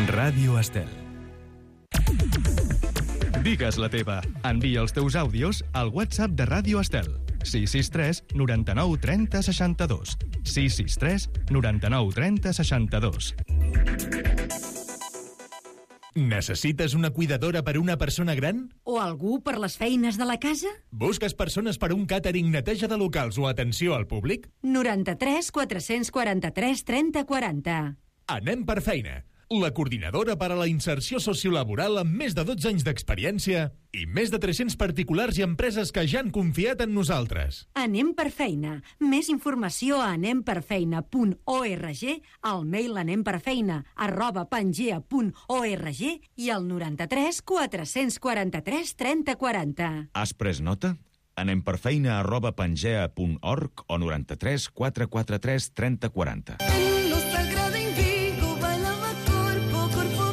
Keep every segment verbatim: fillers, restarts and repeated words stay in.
Ràdio Estel. Digues la teva. Envia els teus àudios al WhatsApp de Ràdio Estel. sis sis tres noranta-nou trenta seixanta-dos. sis sis tres noranta-nou trenta seixanta-dos. Necessites una cuidadora per una persona gran? O algú per les feines de la casa? Busques persones per un càtering, neteja de locals o atenció al públic? noranta-tres quatre-cents quaranta-tres trenta quaranta. Anem per feina. La coordinadora per a la inserció sociolaboral amb més de dotze anys d'experiència i més de tres-cents particulars i empreses que ja han confiat en nosaltres. Anem per feina. Més informació a anem per feina punt org, al mail anemperfeina arroba pangea punt org i al noranta-tres quatre-cents quaranta-tres trenta quaranta. Has pres nota? anemperfeina arroba pangea punt org o noranta-tres quatre quaranta-tres trenta quaranta.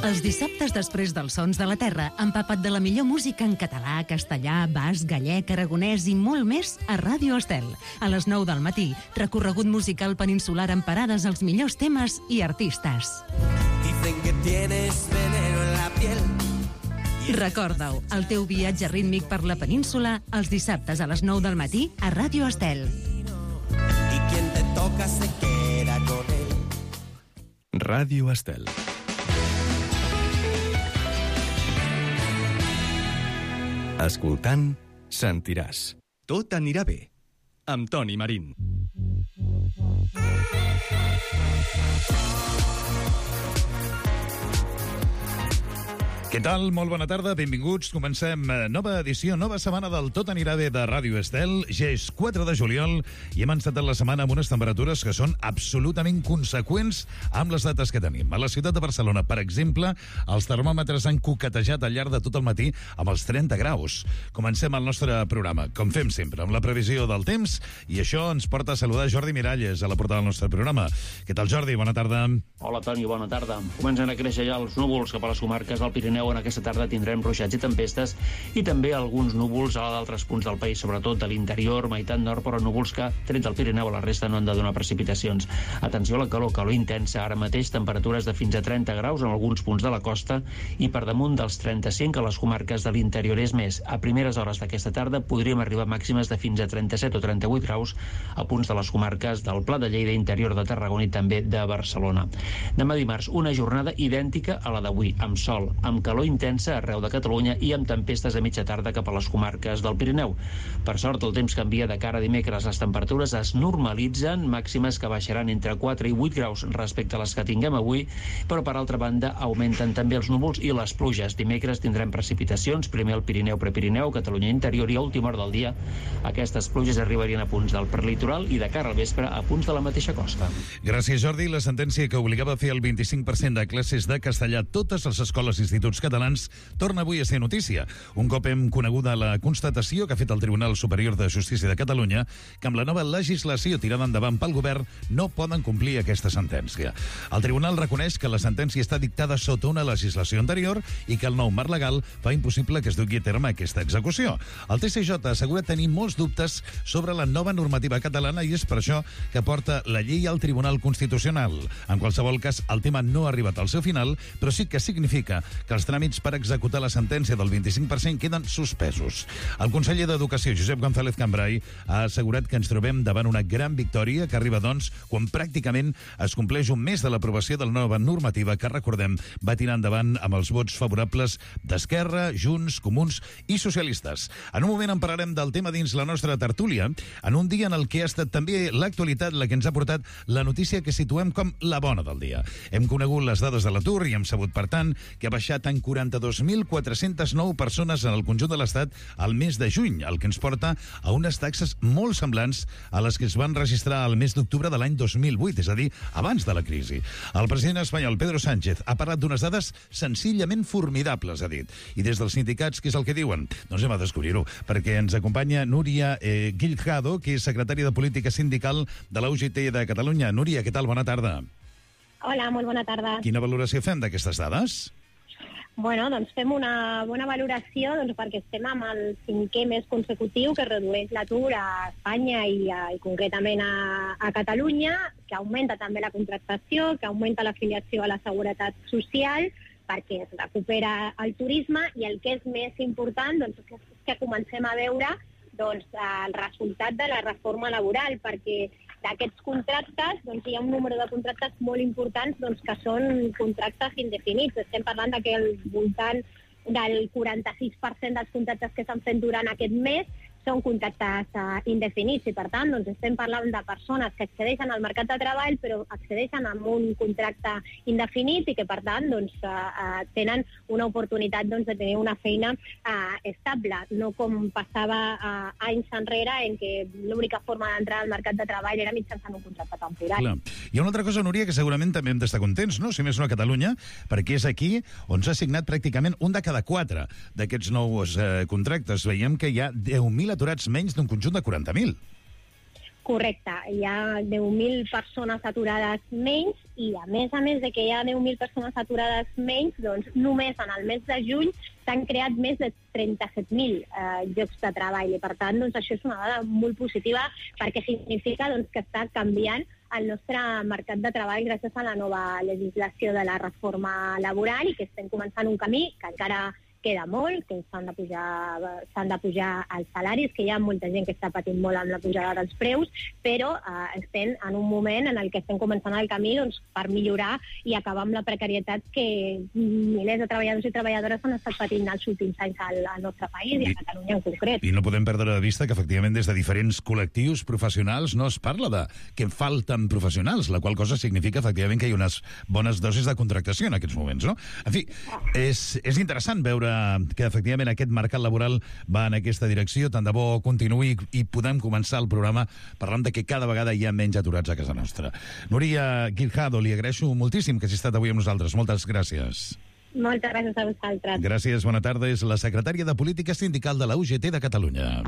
Els dissabtes després dels Sons de la Terra, empapat de la millor música en català, castellà, basc, gallec, aragonès i molt més a Ràdio Estel. A les nou del matí, recorregut musical peninsular amb parades als millors temes i artistes. Dicen que tienes veneno en la piel. Recorda-ho, el teu viatge rítmic per la península, els dissabtes a les nou del matí a Ràdio Estel. Y quien te toca se queda con él. Ràdio Estel. Escoltant, sentiràs. Tot anirà bé. Amb Toni Marín. Què tal? Molt bona tarda, benvinguts. Comencem nova edició, nova setmana del Tot anirà bé de Ràdio Estel. Ja és quatre de juliol i hem encetat la setmana amb unes temperatures que són absolutament conseqüents amb les dates que tenim. A la ciutat de Barcelona, per exemple, els termòmetres han coquetejat al llarg de tot el matí amb els trenta graus. Comencem el nostre programa, com fem sempre, amb la previsió del temps, i això ens porta a saludar Jordi Miralles, a la portada del nostre programa. Què tal, Jordi? Bona tarda. Hola, Toni, bona tarda. Comencen a créixer ja els núvols cap a les comarques del Pirineu. En aquesta tarda tindrem ruixats i tempestes i també alguns núvols a d'altres punts del país, sobretot de l'interior, meitat nord, però núvols que, tret del Pirineu, a la resta no han de donar precipitacions. Atenció a la calor, calor intensa. Ara mateix temperatures de fins a trenta graus en alguns punts de la costa i per damunt dels trenta-cinc a les comarques de l'interior. És més, a primeres hores d'aquesta tarda podríem arribar a màximes de fins a trenta-set o trenta-vuit graus a punts de les comarques del Pla de Lleida, interior de Tarragona i també de Barcelona. Demà dimarts, una jornada idèntica a la d'avui, amb sol, amb calor intensa arreu de Catalunya i amb tempestes a mitja tarda cap a les comarques del Pirineu. Per sort, el temps canvia de cara a dimecres. Les temperatures es normalitzen, màximes que baixaran entre quatre i vuit graus respecte a les que tinguem avui, però per altra banda augmenten també els núvols i les pluges. Dimecres tindrem precipitacions, primer al Pirineu, Prepirineu, Catalunya interior, i a última hora del dia aquestes pluges arribarien a punts del prelitoral i de cara al vespre a punts de la mateixa costa. Gràcies, Jordi. La sentència que obligava a fer el vint-i-cinc per cent de classes de castellà a totes les escoles i instituts catalans torna avui a ser notícia. Un cop hem coneguda la constatació que ha fet el Tribunal Superior de Justícia de Catalunya que amb la nova legislació tirada endavant pel govern no poden complir aquesta sentència. El Tribunal reconeix que la sentència està dictada sota una legislació anterior i que el nou marc legal fa impossible que es dugui a terme aquesta execució. El T C J assegura tenir molts dubtes sobre la nova normativa catalana i és per això que porta la llei al Tribunal Constitucional. En qualsevol cas, el tema no ha arribat al seu final, però sí que significa que els tràmits per executar la sentència del vint-i-cinc per cent queden suspesos. El conseller d'Educació, Josep González Cambray, ha assegurat que ens trobem davant una gran victòria que arriba, doncs, quan pràcticament es compleix un mes de l'aprovació de la nova normativa que, recordem, va tirar endavant amb els vots favorables d'Esquerra, Junts, Comuns i Socialistes. En un moment en parlarem del tema dins la nostra tertúlia, en un dia en el que ha estat també l'actualitat la que ens ha portat la notícia que situem com la bona del dia. Hem conegut les dades de l'atur i hem sabut, per tant, que ha baixat en quaranta-dos mil quatre-cents nou persones en el conjunt de l'Estat al mes de juny, el que ens porta a unes taxes molt semblants a les que es van registrar al mes d'octubre de l'any dos mil vuit, és a dir, abans de la crisi. El president espanyol, Pedro Sánchez, ha parlat d'unes dades senzillament formidables, ha dit. I des dels sindicats, què és el que diuen? Doncs hem a descobrir-ho, perquè ens acompanya Núria eh, Guiljado, que és secretària de Política Sindical de la U G T de Catalunya. Núria, què tal? Bona tarda. Hola, molt bona tarda. Quina valoració fem d'aquestes dades? Bueno, doncs fem una bona valoració doncs, perquè estem amb el cinquè mes consecutiu que redueix l'atur a Espanya i, a, i concretament a, a Catalunya, que augmenta també la contractació, que augmenta l'afiliació a la Seguretat Social perquè es recupera el turisme, i el que és més important doncs, és que comencem a veure doncs, el resultat de la reforma laboral, perquè d'aquests contractes doncs, hi ha un número de contractes molt importants doncs, que són contractes indefinits. Estem parlant que al voltant del quaranta-sis per cent dels contractes que s'han fet durant aquest mes són contractes uh, indefinits, i per tant doncs, estem parlant de persones que accedeixen al mercat de treball però accedeixen amb un contracte indefinit i que per tant doncs, uh, uh, tenen una oportunitat doncs, de tenir una feina uh, estable, no com passava uh, anys enrere en què l'única forma d'entrar al mercat de treball era mitjançant un contracte temporal. Clar. Hi ha una altra cosa, Núria, que segurament també hem d'estar contents, no? Si més no a Catalunya, perquè és aquí on s'ha signat pràcticament un de cada quatre d'aquests nous eh, contractes. Veiem que hi ha deu mil aturats menys d'un conjunt de quaranta mil. Correcte, hi ha deu mil persones aturades menys, i a més a més de que hi ha deu mil persones aturades menys, doncs només en el mes de juny s'han creat més de trenta-set mil eh, llocs de treball, i per tant doncs, això és una dada molt positiva perquè significa doncs, que està canviant el nostre mercat de treball gràcies a la nova legislació de la reforma laboral, i que estem començant un camí que encara queda molt, que s'han de pujar, s'han de pujar els salaris, que hi ha molta gent que està patint molt amb la pujada dels preus, però eh, estem en un moment en el que estem començant el camí doncs, per millorar i acabar amb la precarietat que milers de treballadors i treballadores han estat patint els últims anys al, al nostre país i a Catalunya en concret. I no podem perdre de vista que efectivament des de diferents col·lectius professionals no es parla de que falten professionals, la qual cosa significa efectivament que hi ha unes bones dosis de contractació en aquests moments, no? En fi, és, és interessant veure que efectivament aquest mercat laboral va en aquesta direcció. Tant de bo continuï i podem començar el programa parlant de que cada vegada hi ha menys aturats a casa nostra. Núria Guirjado, li agraeixo moltíssim que hagi estat avui amb nosaltres. Moltes gràcies. Moltes gràcies a vosaltres. Gràcies, bona tarda. És la secretària de Política Sindical de la U G T de Catalunya.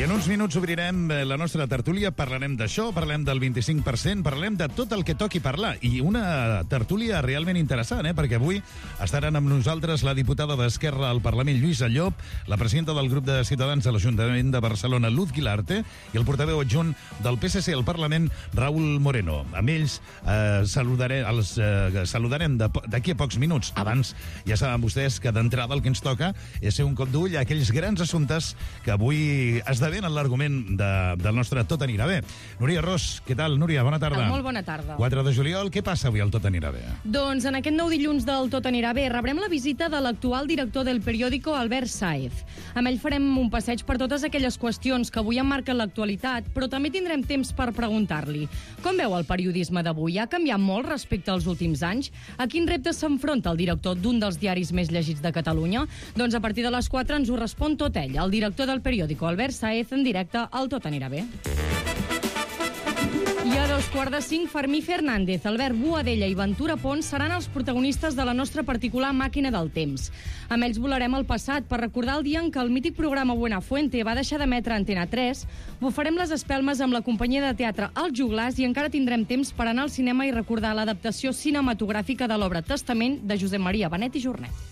I en uns minuts obrirem la nostra tertúlia, parlarem d'això, parlarem del vint-i-cinc per cent, parlarem de tot el que toqui parlar. I una tertúlia realment interessant, eh? Perquè avui estaran amb nosaltres la diputada d'Esquerra al Parlament, Lluïsa Llop, la presidenta del grup de Ciutadans a l'Ajuntament de Barcelona, Luz Guilarte, i el portaveu adjunt del P S C al Parlament, Raúl Moreno. Amb ells eh, saludare, els, eh, saludarem d'aquí a pocs minuts. Abans, ja saben vostès que d'entrada el que ens toca és ser un cop d'ull a aquells grans assumptes que avui esdevenen en l'argument de, del nostre Tot anirà bé. Núria Ros, què tal, Núria? Bona tarda. Molt bona tarda. quatre de juliol, què passa avui al Tot anirà bé? Doncs en aquest nou dilluns del Tot anirà bé rebrem la visita de l'actual director del periòdico, Albert Sáez. Amb ell farem un passeig per totes aquelles qüestions que avui emmarquen l'actualitat, però també tindrem temps per preguntar-li. Com veu el periodisme d'avui? Ha canviat molt respecte als últims anys? A quin repte s'enfronta el director d'un dels diaris més llegits de Catalunya? Doncs a partir de les quatre ens ho respon tot ell, el director del periòdico, Albert Sáez, en directe al Tot anirà bé. I a dos quarts de cinc, Fermí Fernández, Albert Boadella i Ventura Pons seran els protagonistes de la nostra particular màquina del temps. Amb ells volarem al passat per recordar el dia en què el mític programa Buenafuente va deixar d'emetre a Antena tres, bufarem les espelmes amb la companyia de teatre Els Joglars i encara tindrem temps per anar al cinema i recordar l'adaptació cinematogràfica de l'obra Testament de Josep Maria Benet i Jornet.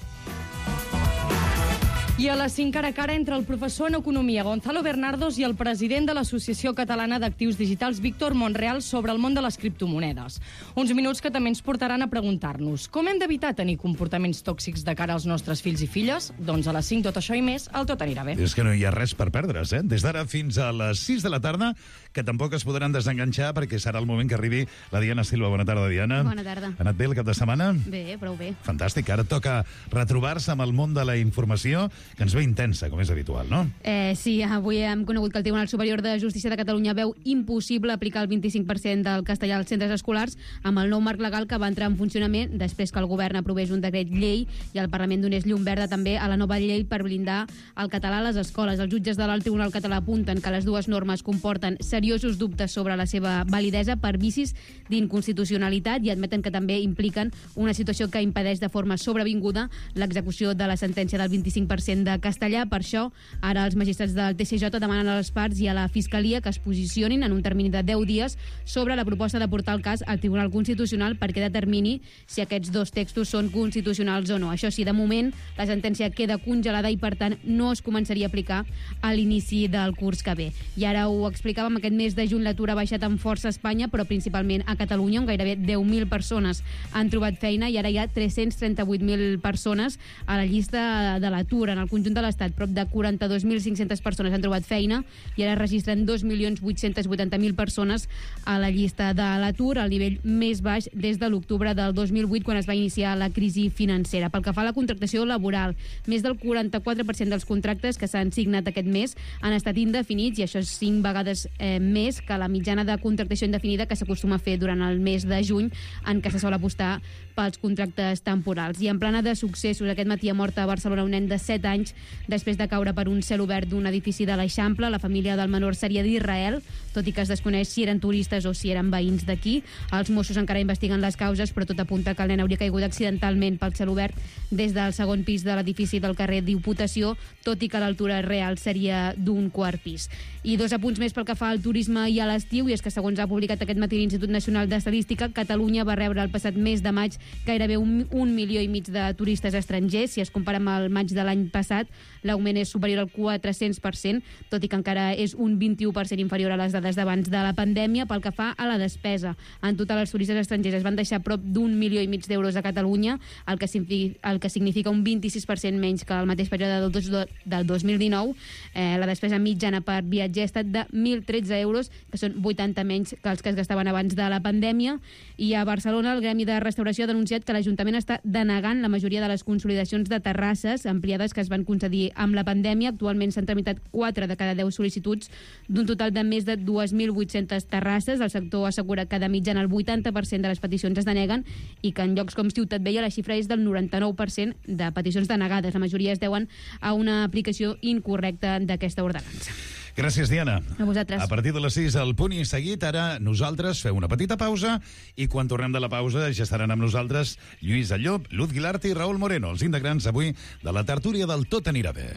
I a les cinc cara a cara entre el professor en Economia Gonzalo Bernardos i el president de l'Associació Catalana d'Actius Digitals Víctor Monreal sobre el món de les criptomonedes. Uns minuts que també ens portaran a preguntar-nos com hem d'evitar tenir comportaments tòxics de cara als nostres fills i filles? Doncs a les cinc tot això i més, el Tot anirà bé. És que no hi ha res per perdre's, eh? Des d'ara fins a les sis de la tarda, que tampoc es podran desenganxar perquè serà el moment que arribi la Diana Silva. Bona tarda, Diana. Bona tarda. Ha anat bé el cap de setmana? Bé, prou bé. Fantàstic. Ara toca retrobar-se amb el món de la informació, que ens ve intensa, com és habitual, no? Eh, sí, avui hem conegut que el Tribunal Superior de Justícia de Catalunya veu impossible aplicar el vint-i-cinc per cent del castellà als centres escolars amb el nou marc legal que va entrar en funcionament després que el govern aprovés un decret llei i el Parlament donés llum verda també a la nova llei per blindar el català a les escoles. Els jutges de l'Alt Tribunal Català apunten que les dues normes comporten seriosos dubtes sobre la seva validesa per vicis d'inconstitucionalitat i admeten que també impliquen una situació que impedeix de forma sobrevinguda l'execució de la sentència del vint-i-cinc per cent docent de castellà. Per això, ara els magistrats del T C J demanen a les parts i a la Fiscalia que es posicionin en un termini de deu dies sobre la proposta de portar el cas al Tribunal Constitucional perquè determini si aquests dos textos són constitucionals o no. Això sí, de moment, la sentència queda congelada i, per tant, no es començaria a aplicar a l'inici del curs que ve. I ara ho explicàvem, aquest mes de juny l'atur ha baixat amb força a Espanya, però principalment a Catalunya, on gairebé deu mil persones han trobat feina i ara hi ha tres-cents trenta-vuit mil persones a la llista de l'atur. En el conjunt de l'Estat, prop de quaranta-dos mil cinc-centes persones han trobat feina i ara registren dos milions vuit-cents vuitanta mil persones a la llista de l'atur, al nivell més baix des de l'octubre del dos mil vuit, quan es va iniciar la crisi financera. Pel que fa a la contractació laboral, més del quaranta-quatre per cent dels contractes que s'han signat aquest mes han estat indefinits, i això és cinc vegades eh, més que la mitjana de contractació indefinida que s'acostuma a fer durant el mes de juny, en què se sol apostar pels contractes temporals. I en plana de successos, aquest matí ha mort a Barcelona un nen de set anys després de caure per un cel obert d'un edifici de l'Eixample. La família del menor seria d'Israel, tot i que es desconeix si eren turistes o si eren veïns d'aquí. Els Mossos encara investiguen les causes, però tot apunta que el nen hauria caigut accidentalment pel cel obert des del segon pis de l'edifici del carrer Diputació, tot i que l'altura real seria d'un quart pis. I dos apunts més pel que fa al turisme i a l'estiu, i és que, segons ha publicat aquest matí l'Institut Nacional d'Estadística, Catalunya va rebre el passat mes de maig gairebé un, un milió i mig de turistes estrangers. Si es compara amb el maig de l'any passat, l'augment és superior al quatre-cents per cent, tot i que encara és un vint-i-u per cent inferior a les dades d'abans de la pandèmia. Pel que fa a la despesa, en total els turistes estrangers es van deixar prop d'un milió i mig d'euros a Catalunya, el que, el que significa un vint-i-sis per cent menys que el mateix període del, dos, del dos mil dinou. Eh, la despesa mitjana per viatger ha estat de mil tretze euros, que són vuitanta menys que els que es gastaven abans de la pandèmia. I a Barcelona, el Gremi de Restauració ha denunciat que l'Ajuntament està denegant la majoria de les consolidacions de terrasses ampliades que es van concedir amb la pandèmia. Actualment s'han tramitat quatre de cada deu sol·licituds d'un total de més de dos mil vuit-centes terrasses. El sector assegura que de mitjana el vuitanta per cent de les peticions es deneguen i que en llocs com Ciutat Vella la xifra és del noranta-nou per cent de peticions denegades. La majoria es deuen a una aplicació incorrecta d'aquesta ordenança. Gràcies, Diana. A vosaltres. A partir de les sis, al punt i seguit, ara nosaltres feu una petita pausa i quan tornem de la pausa ja estaran amb nosaltres Lluís Allop, Luz Guilarte i Raúl Moreno, els integrants avui de la tertúlia del Tot anirà bé.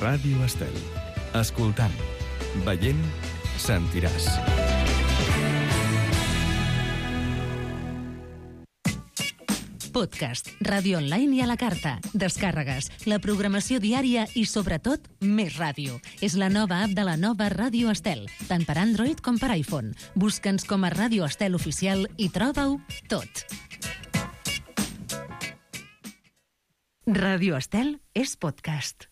Ràdio Estel. Escoltant, veient, sentiràs. Podcast, ràdio online i a la carta, descàrregues, la programació diària i, sobretot, més ràdio. És la nova app de la nova Ràdio Estel, tant per Android com per iPhone. Busca'ns com a Ràdio Estel Oficial i troba-ho tot. Ràdio Estel és podcast.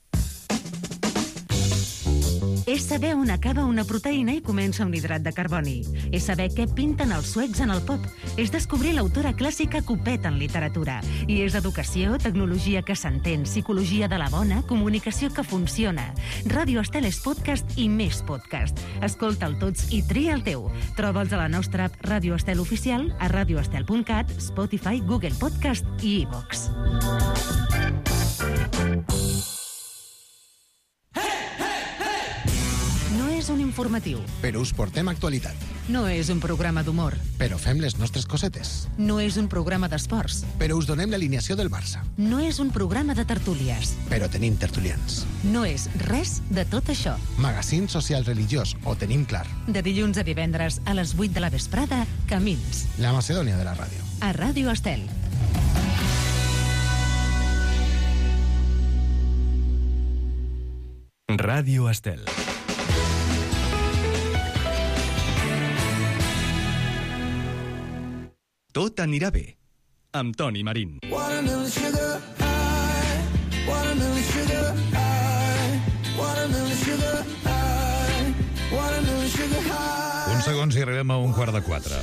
És saber on acaba una proteïna i comença un hidrat de carboni. És saber què pinten els suecs en el pop. És descobrir l'autora clàssica que ho peta en literatura. I és educació, tecnologia que s'entén, psicologia de la bona, comunicació que funciona. Ràdio Estel és podcast i més podcast. Escolta'l tots i tria el teu. Troba'ls a la nostra app Ràdio Estel Oficial, a radioestel punt cat, Spotify, Google Podcast i iVox. És un informatiu. Però us portem actualitat. No és un programa d'humor. Però fem les nostres cosetes. No és un programa d'esports. Però us donem l'alineació del Barça. No és un programa de tertúlies. Però tenim tertulians. No és res de tot això. Magazín social religiós, ho tenim clar. De dilluns a divendres a les vuit de la vesprada, Camins. La Macedònia de la ràdio. A Ràdio Estel. Ràdio Estel. Tot anirà bé, amb Toni Marín. Uns segons i arribem a un quart de quatre.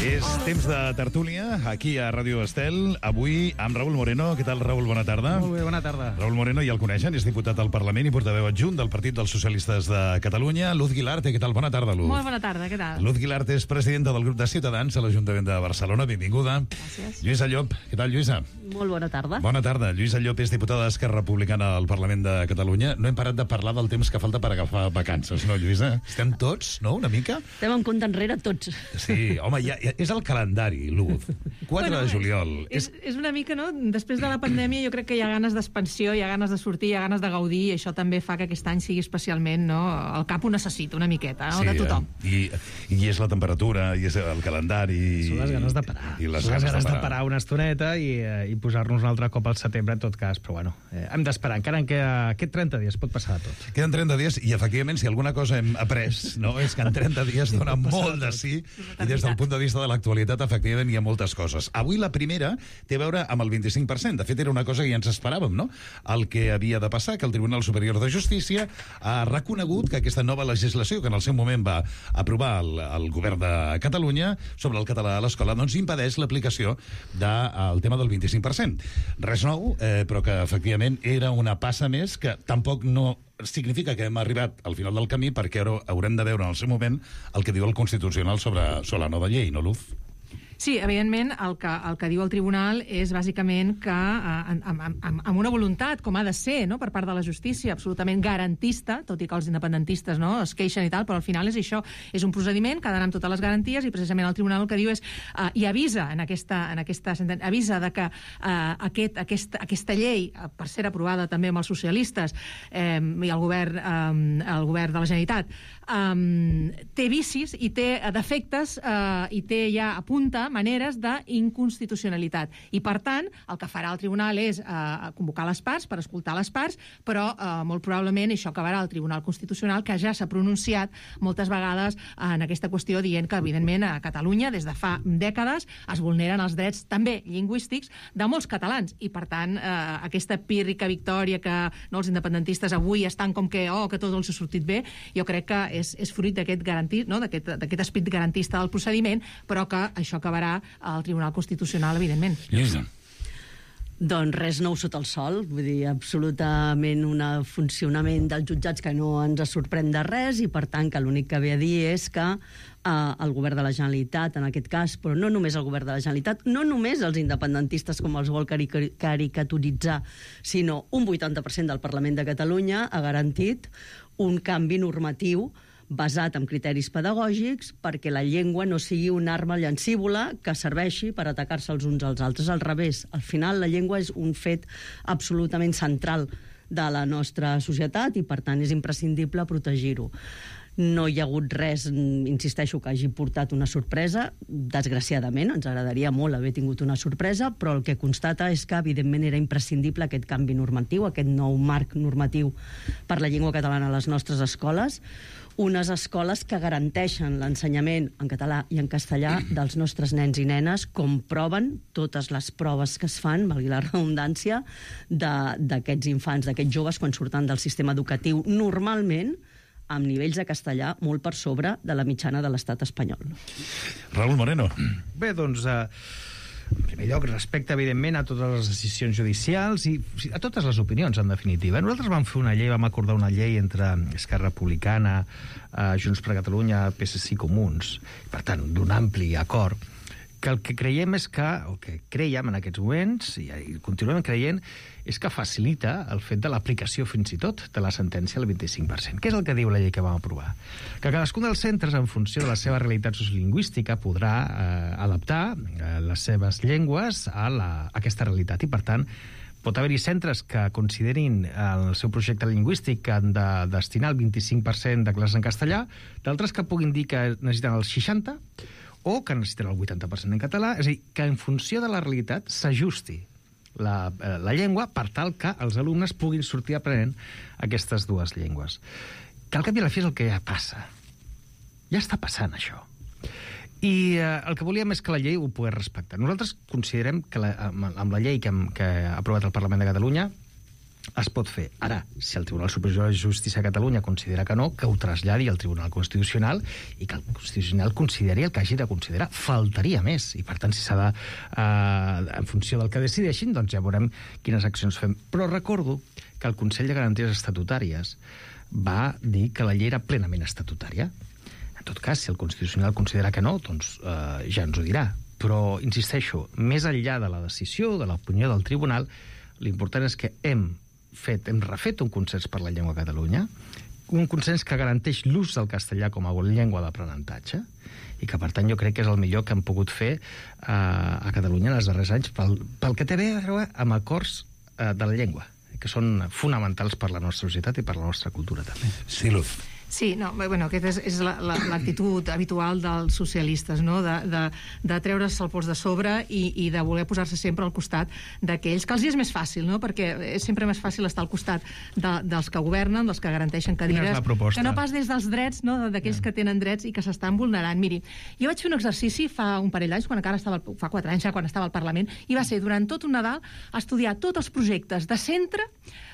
És temps de tertúlia, aquí a Ràdio Estel, avui amb Raül Moreno. Què tal, Raül? Bona tarda. Molt bé, bona tarda. Raül Moreno, ja el coneixen, és diputat al Parlament i portaveu adjunt del Partit dels Socialistes de Catalunya. Luz Guilarte, què tal? Bona tarda, Luz. Molt bona tarda, què tal? Luz Guilarte és presidenta del grup de Ciutadans a l'Ajuntament de Barcelona. Benvinguda. Gràcies. Lluïsa Llop, què tal, Lluïsa? Molt bona tarda. Bona tarda. Lluïsa Llop és diputada d'Esquerra Republicana al Parlament de Catalunya. No hem parat de parlar del temps que falta per agafar vacances, no, Lluïsa? Estem tots, no?, una mica? Estem en compte enrere tots. Sí, home, ja, ja és el calendari, Luz. quatre Bueno, de juliol. És, és una mica, no? Després de la pandèmia jo crec que hi ha ganes d'expansió, hi ha ganes de sortir, hi ha ganes de gaudir, i això també fa que aquest any sigui especialment, no? El cap ho necessita una miqueta, no? Sí, De tothom. eh? I, I és la temperatura, i és el calendari... Són les ganes de parar. I les Són les ganes, ganes de de parar. parar una estoneta i, eh, i posar-nos un altre cop al setembre, en tot cas. Però bueno, eh, hem d'esperar. Encara que aquest trenta dies pot passar de tot. Queden trenta dies i, efectivament, si alguna cosa hem après, no, és que en trenta dies dona molt de sí, i des del punt de vista de l'actualitat, efectivament, hi ha moltes coses. Avui la primera té a veure amb el vint-i-cinc per cent. De fet, era una cosa que ja ens esperàvem, no? El que havia de passar, que el Tribunal Superior de Justícia ha reconegut que aquesta nova legislació, que en el seu moment va aprovar el, el govern de Catalunya sobre el català a l'escola, doncs impedeix l'aplicació del tema del vint-i-cinc per cent. Res nou, eh, però que, efectivament, era una passa més que tampoc no significa que hem arribat al final del camí, perquè ara haurem de veure en el seu moment el que diu el Constitucional sobre, sobre la nova llei, no, Luz? Sí, evidentment, el que, el que diu el tribunal és bàsicament que eh, amb, amb, amb una voluntat, com ha de ser, no?, per part de la justícia, absolutament garantista, tot i que els independentistes, no?, es queixen i tal, però al final és això, és un procediment que ha d'anar amb totes les garanties, i precisament el tribunal el que diu és, eh, i avisa en aquesta, en aquesta sentència, avisa de que eh, aquest, aquesta, aquesta llei, eh, per ser aprovada també amb els socialistes eh, i el govern, eh, el govern de la Generalitat, eh, té vicis i té defectes eh, i té ja apunta maneres d'inconstitucionalitat. I, per tant, el que farà el tribunal és eh, convocar les parts per escoltar les parts, però eh, molt probablement això acabarà al Tribunal Constitucional, que ja s'ha pronunciat moltes vegades en aquesta qüestió, dient que, evidentment, a Catalunya, des de fa dècades, es vulneren els drets també lingüístics de molts catalans. I, per tant, eh, aquesta pírrica victòria que no, els independentistes avui estan com que, oh, que tot els ha sortit bé, jo crec que és, és fruit d'aquest garantit, no?, d'aquest esperit garantista del procediment, però que això acabarà al Tribunal Constitucional, evidentment. Lluïsa. Doncs res nou sota el sol, vull dir, absolutament un funcionament dels jutjats que no ens sorprèn de res, i per tant que l'únic que ve a dir és que eh, el govern de la Generalitat, en aquest cas, però no només el govern de la Generalitat, no només els independentistes com els vol caric caricaturitzar, sinó un vuitanta per cent del Parlament de Catalunya ha garantit un canvi normatiu basat en criteris pedagògics perquè la llengua no sigui una arma llancívola que serveixi per atacar-se els uns als altres. Al revés, al final la llengua és un fet absolutament central de la nostra societat i, per tant, és imprescindible protegir-ho. No hi ha hagut res, insisteixo, que hagi portat una sorpresa. Desgraciadament, ens agradaria molt haver tingut una sorpresa, però el que constata és que, evidentment, era imprescindible aquest canvi normatiu, aquest nou marc normatiu per la llengua catalana a les nostres escoles, unes escoles que garanteixen l'ensenyament en català i en castellà dels nostres nens i nenes, com proven totes les proves que es fan, valgui la redundància, d'aquests infants, d'aquests joves, quan surten del sistema educatiu, normalment amb nivells de castellà molt per sobre de la mitjana de l'estat espanyol. Raül Moreno. Bé, doncs, eh, en primer lloc, respecte, evidentment, a totes les decisions judicials i a totes les opinions, en definitiva. Nosaltres vam fer una llei, vam acordar una llei entre Esquerra Republicana, eh, Junts per Catalunya, P S C i Comuns, per tant, d'un ampli acord, que el que creiem és que, el que creiem en aquests moments, i, i continuem creient, és que facilita el fet de l'aplicació fins i tot de la sentència al vint-i-cinc per cent. Què és el que diu la llei que vam aprovar? Que cadascun dels centres, en funció de la seva realitat sociolingüística, podrà eh, adaptar eh, les seves llengües a, la, a aquesta realitat. I, per tant, pot haver-hi centres que considerin el seu projecte lingüístic que han de destinar el vint-i-cinc per cent de classes en castellà, d'altres que puguin dir que necessiten el seixanta per cent o que necessiten el vuitanta per cent en català. És a dir, que en funció de la realitat s'ajusti la, la llengua per tal que els alumnes puguin sortir aprenent aquestes dues llengües. Que al cap i a la fi és el que ja passa. Ja està passant, això. I eh, el que volíem és que la llei ho pogués respectar. Nosaltres considerem que la, amb, amb la llei que, hem, que ha aprovat el Parlament de Catalunya es pot fer. Ara, si el Tribunal Superior de Justícia de Catalunya considera que no, que ho traslladi al Tribunal Constitucional i que el Constitucional consideri el que hagi de considerar. Faltaria més. I, per tant, si s'ha de... Eh, en funció del que decideixin, doncs ja veurem quines accions fem. Però recordo que el Consell de Garanties Estatutàries va dir que la llei era plenament estatutària. En tot cas, si el Constitucional considera que no, doncs eh, ja ens ho dirà. Però, insisteixo, més enllà de la decisió, de l'opinió del Tribunal, l'important és que hem fet, hem refet un consens per la llengua a Catalunya, un consens que garanteix l'ús del castellà com a llengua d'aprenentatge i que, per tant, jo crec que és el millor que hem pogut fer eh, a Catalunya en els darrers anys pel, pel que té a veure amb acords eh, de la llengua, que són fonamentals per la nostra societat i per la nostra cultura, també. Sí, Luz. Sí, no, bueno, aquesta és, és l'actitud la, habitual dels socialistes, no? de, de, de treure's el pols de sobre i, i de voler posar-se sempre al costat d'aquells que els és més fàcil, no? Perquè és sempre més fàcil estar al costat de, dels que governen, dels que garanteixen cadires, que no pas des dels drets, no? d'aquells yeah. que tenen drets i que s'estan vulnerant. Miri, jo vaig fer un exercici fa un parell d'anys, quan encara estava, fa quatre anys ja, quan estava al Parlament, i va ser durant tot un Nadal estudiar tots els projectes de centre,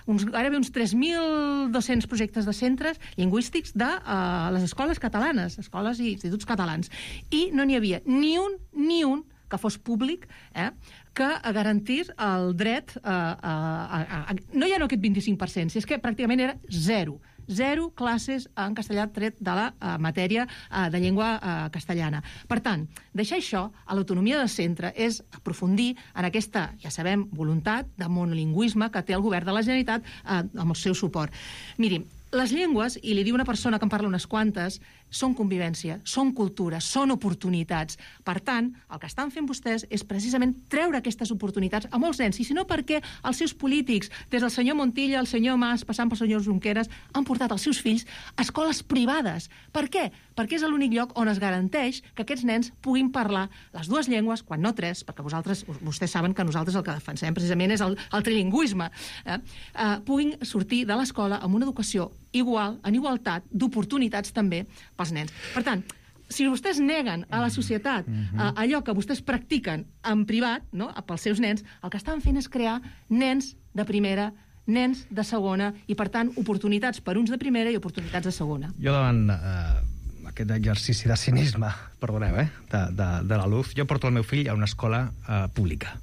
uns, gairebé uns tres mil dos-cents projectes de centres lingüístics de uh, les escoles catalanes, escoles i instituts catalans. I no n'hi havia ni un, ni un que fos públic, eh, que garantís el dret a... a, a, a no ja no aquest vint-i-cinc per cent, si és que pràcticament era zero. Zero classes en castellà tret de la uh, matèria uh, de llengua uh, castellana. Per tant, deixar això a l'autonomia del centre és aprofundir en aquesta, ja sabem, voluntat de monolingüisme que té el govern de la Generalitat uh, amb el seu suport. Miri, les llengües, i li diu una persona que en parla unes quantes, són convivència, són cultura, són oportunitats. Per tant, el que estan fent vostès és precisament treure aquestes oportunitats a molts nens, i si no perquè els seus polítics, des del senyor Montilla, el senyor Mas, passant pel senyor Junqueras, han portat els seus fills a escoles privades. Per què? Perquè és l'únic lloc on es garanteix que aquests nens puguin parlar les dues llengües, quan no tres, perquè vosaltres, vostès saben que nosaltres el que defensem precisament és el, el trilingüisme, eh? Eh, puguin sortir de l'escola amb una educació igual, en igualtat, d'oportunitats també pels nens. Per tant, si vostès neguen a la societat uh, allò que vostès practiquen en privat, no?, pels seus nens, el que estan fent és crear nens de primera, nens de segona, i, per tant, oportunitats per uns de primera i oportunitats de segona. Jo davant eh, aquest exercici de cinisme, perdoneu, eh, de, de, de la Luz, jo porto el meu fill a una escola eh, pública,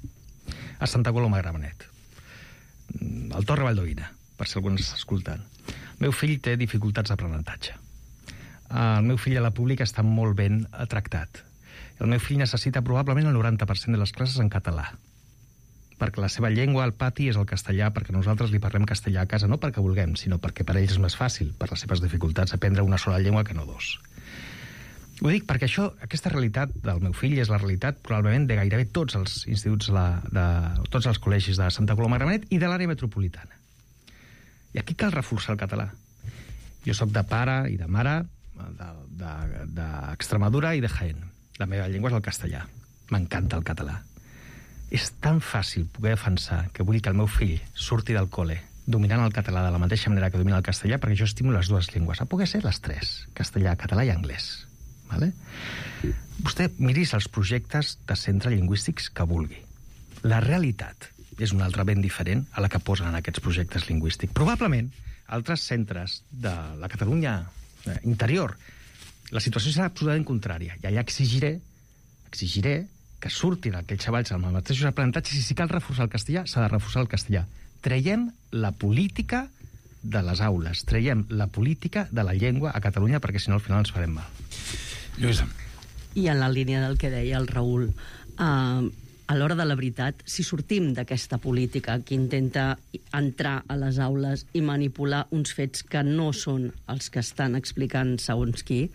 a Santa Coloma de Gramenet, al Torre Valdoïna, per si algú ens està escoltant. El meu fill té dificultats d'aprenentatge. El meu fill a la pública està molt ben tractat. El meu fill necessita probablement el noranta per cent de les classes en català, perquè la seva llengua al pati és el castellà, perquè nosaltres li parlem castellà a casa, no perquè vulguem, sinó perquè per ells és més fàcil, per les seves dificultats, aprendre una sola llengua que no dos. Ho dic perquè això, aquesta realitat del meu fill és la realitat probablement de gairebé tots els instituts, de, de tots els col·legis de Santa Coloma de Gramenet i de l'àrea metropolitana. I aquí cal reforçar el català. Jo sóc de pare i de mare d'Extremadura de, de, de i de Jaén. La meva llengua és el castellà. M'encanta el català. És tan fàcil poder defensar que vull que el meu fill surti del col·le dominant el català de la mateixa manera que domina el castellà, perquè jo estimo les dues llengües. A poder ser les tres, castellà, català i anglès. Vale? Vostè miris els projectes de centre lingüístics que vulgui. La realitat és una altra ben diferent a la que posen en aquests projectes lingüístics. Probablement, altres centres de la Catalunya interior, la situació serà absolutament contrària. I allà exigiré, exigiré que surtin aquells xavals amb els mateixos aprenentatges, i si cal reforçar el castellà, s'ha de reforçar el castellà. Traiem la política de les aules, traiem la política de la llengua a Catalunya, perquè si no al final ens farem mal. Lluïsa. I en la línia del que deia el Raül, eh, a l'hora de la veritat, si sortim d'aquesta política que intenta entrar a les aules i manipular uns fets que no són els que estan explicant segons qui,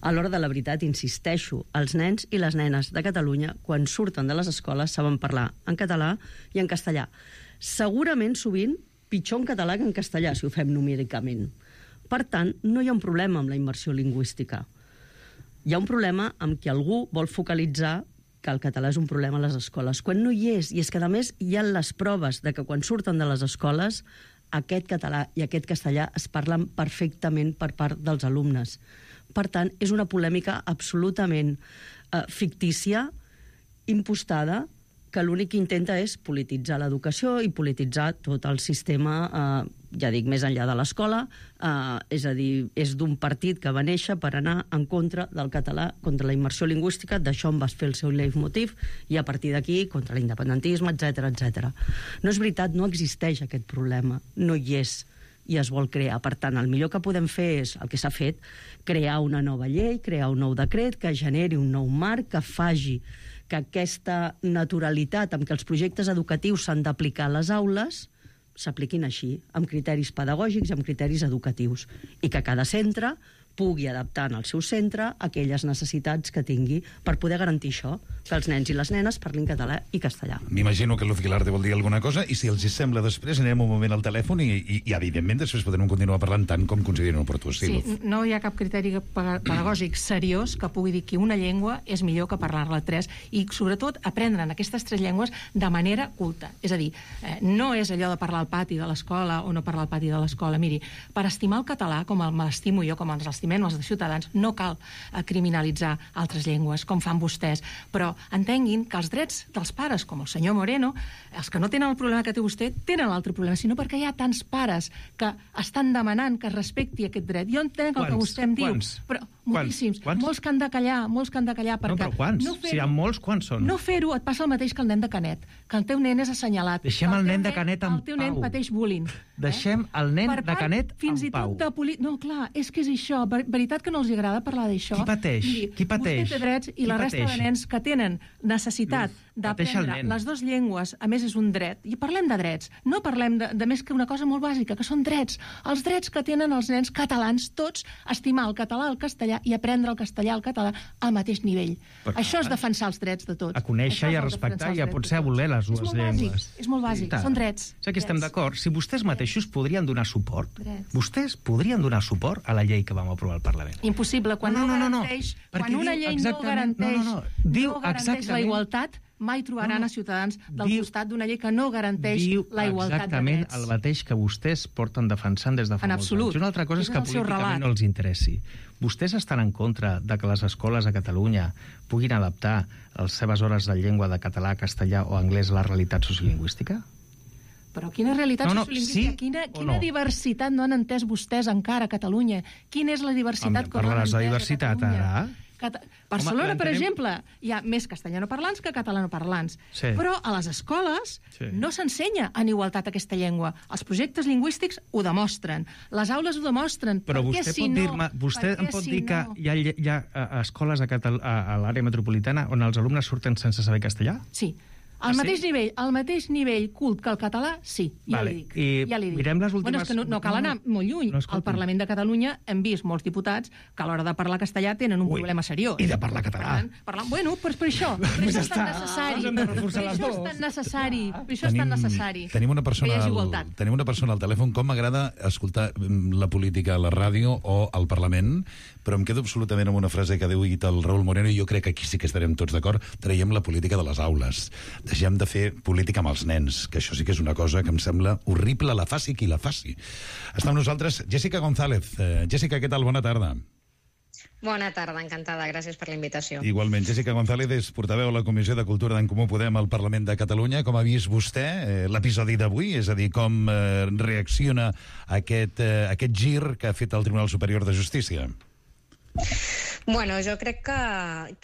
a l'hora de la veritat, insisteixo, els nens i les nenes de Catalunya, quan surten de les escoles, saben parlar en català i en castellà. Segurament, sovint, pitjor en català que en castellà, si ho fem numèricament. Per tant, no hi ha un problema amb la immersió lingüística. Hi ha un problema amb que algú vol focalitzar que el català és un problema a les escoles, quan no hi és. I és que, a més, hi ha les proves de que quan surten de les escoles aquest català i aquest castellà es parlen perfectament per part dels alumnes. Per tant, és una polèmica absolutament eh, fictícia, impostada, que l'únic que intenta és polititzar l'educació i polititzar tot el sistema, eh, ja dic, més enllà de l'escola, eh, és a dir, és d'un partit que va néixer per anar en contra del català, contra la immersió lingüística, d'això en va fer el seu leitmotiv, i a partir d'aquí contra l'independentisme, etcètera, etcètera. No és veritat, no existeix aquest problema, no hi és, i es vol crear. Per tant, el millor que podem fer és, el que s'ha fet, crear una nova llei, crear un nou decret que generi un nou marc, que faci que aquesta naturalitat amb què els projectes educatius s'han d'aplicar a les aules s'apliquin així, amb criteris pedagògics i amb criteris educatius, i que cada centre pugui adaptar en el seu centre aquelles necessitats que tingui per poder garantir això, que els nens i les nenes parlin català i castellà. M'imagino que Luz Guilarte vol dir alguna cosa, i si els sembla després anirem un moment al telèfon i, i, i evidentment després podrem continuar parlant tant com considerin oportú. Sí, sí, no hi ha cap criteri pedagògic seriós que pugui dir que una llengua és millor que parlar-la tres, i sobretot aprendre en aquestes tres llengües de manera culta. És a dir, eh, no és allò de parlar al pati de l'escola o no parlar al pati de l'escola. Miri, per estimar el català, com me l'estimo jo, com ens l'estimem els de Ciutadans, no cal eh, criminalitzar altres llengües, com fan vostès, però entenguin que els drets dels pares, com el senyor Moreno, els que no tenen el problema que té vostè, tenen l'altre problema, sinó perquè hi ha tants pares que estan demanant que es respecti aquest dret. Jo entenc el que vostè em diu, quants? però moltíssims, quants? molts que han de callar, molts que han de callar, perquè... No, però quants? No si hi ha molts, quants són? No fer-ho et passa el mateix que el nen de Canet, que el teu nen és assenyalat. Deixem el, el nen de Canet en pau. El teu nen pateix bullying. Deixem el nen de Canet en pau. Fins i tot de poli... No, clar, és que és això. Ver veritat que no els agrada parlar d'això? Qui pateix? Miri, Qui pateix? Vostè té drets i la resta de nens que tenen necessitat d'aprendre les dues llengües, a més és un dret, i parlem de drets, no parlem de, de més que una cosa molt bàsica, que són drets. Els drets que tenen els nens catalans, tots, estimar el català, el castellà i aprendre el castellà, el català, al mateix nivell. Però, això és defensar els drets de tots. A conèixer i a respectar i a potser a voler les dues és llengües. Bàsic, és molt bàsic, són drets. O sigui que estem d'acord. Si vostès mateixos podrien donar suport, drets. vostès podrien donar suport a la llei que vam aprovar al Parlament. Impossible. Quan no, no, no, no, garanteix, no. Quan una llei no garanteix, no, no, no. Diu no garanteix la igualtat, mai trobaran no, no. a Ciutadans del diu, costat d'una llei que no garanteix la igualtat de drets. Diu exactament el mateix que vostès porten defensant des de fa en molts absolut. anys. Una altra cosa és, és que políticament relat. no els interessi. Vostès estan en contra de que les escoles a Catalunya puguin adaptar les seves hores de llengua de català, castellà o anglès a la realitat sociolingüística? Però quina realitat no, no, sociolingüística? Sí quina quina no? diversitat no han entès vostès encara a Catalunya? Quina és la diversitat Home, que no han entès de diversitat, a Catalunya? ara? Cata... Barcelona, Home, per exemple, hi ha més castellanoparlants que catalanoparlants. Sí. Però a les escoles sí. no s'ensenya en igualtat aquesta llengua. Els projectes lingüístics ho demostren. Les aules ho demostren. Però perquè vostè si pot no, dir-me, vostè em pot si dir que no... hi ha, hi ha escoles a, Catal a, a l'àrea metropolitana on els alumnes surten sense saber castellà? Sí. Al mateix sí? nivell, al mateix nivell cult que el català, sí, ja vale. li dic. I ja li dic. mirem les últimes... Bueno, és que no, no cal anar no, molt lluny. no, Al Parlament de Catalunya hem vist molts diputats que a l'hora de parlar castellà tenen un Ui, problema seriós. I de parlar català. Parlant, bueno, però és per això. Per això és tan necessari. Per això és tan necessari. Per això és tan necessari. Tenim una persona, al, tenim una persona al telèfon. Com m'agrada escoltar la política a la ràdio o al Parlament, però em quedo absolutament amb una frase que ha dit el Raúl Moreno, i jo crec que aquí sí que estarem tots d'acord. Traiem la política de les aules. Deixem de fer política amb els nens, que això sí que és una cosa que em sembla horrible, la faci qui la faci. Està amb nosaltres Jessica González. Uh, Jessica, què tal? Bona tarda. Bona tarda, encantada. Gràcies per la invitació. Igualment. Jessica González és portaveu a la Comissió de Cultura d'en Comú Podem al Parlament de Catalunya. Com ha vist vostè eh, l'episodi d'avui? És a dir, com eh, reacciona aquest, eh, aquest gir que ha fet el Tribunal Superior de Justícia? Bueno, jo crec que,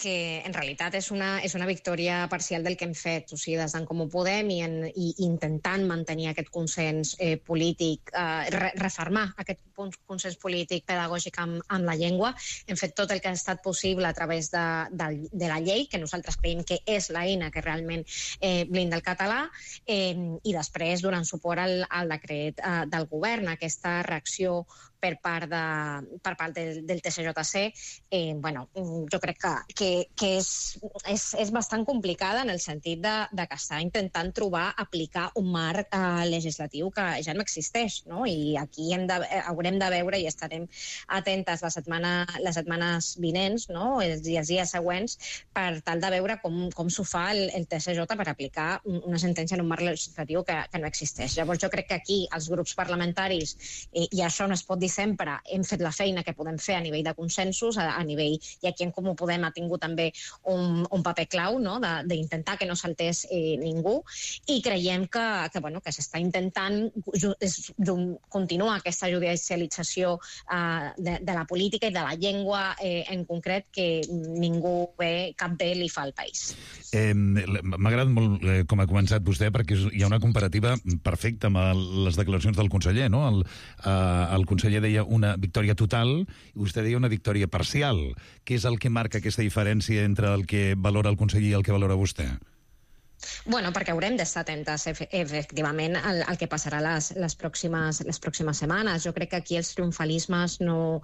que en realitat és una, és una victòria parcial del que hem fet, o sigui, des d'en Comú Podem i, en, i intentant mantenir aquest consens eh, polític, eh, re, refermar aquest consens polític pedagògic amb, amb la llengua. Hem fet tot el que ha estat possible a través de, de, de la llei, que nosaltres creiem que és l'eina que realment eh, blinda el català, eh, i després donant suport al, al decret eh, del govern, aquesta reacció per part, de, per part del, del T S J C, eh, bueno, jo crec que, que, que és, és, és bastant complicada en el sentit de, de que està intentant trobar, aplicar un marc eh, legislatiu que ja no existeix, no? I aquí hem de, haurem de veure i estarem atentes la setmana, les setmanes vinents, no? Els dies, dies següents, per tal de veure com, com s'ho fa el, el T S J per aplicar una sentència en un marc legislatiu que, que no existeix. Llavors jo crec que aquí els grups parlamentaris, eh, i això no es pot dir sempre, hem fet la feina que podem fer a nivell de consensos, a, a nivell, i aquí en Comú Podem ha tingut també un, un paper clau, no?, d'intentar que no saltés eh, ningú, i creiem que, que, bueno, que s'està intentant ju, és, continuar aquesta judicialització eh, de, de la política i de la llengua eh, en concret, que ningú bé, cap bé li fa al país. Eh, M'ha agradat molt eh, com ha començat vostè, perquè hi ha una comparativa perfecta amb el, les declaracions del conseller, no? El, eh, el conseller deia una victòria total i vostè deia una victòria parcial. Què és el que marca aquesta diferència entre el que valora el conseller i el que valora vostè? Bueno, perquè haurem d'estar atentes, efectivament, al, al que passarà les, les, pròximes, les pròximes setmanes. Jo crec que aquí els triomfalismes no,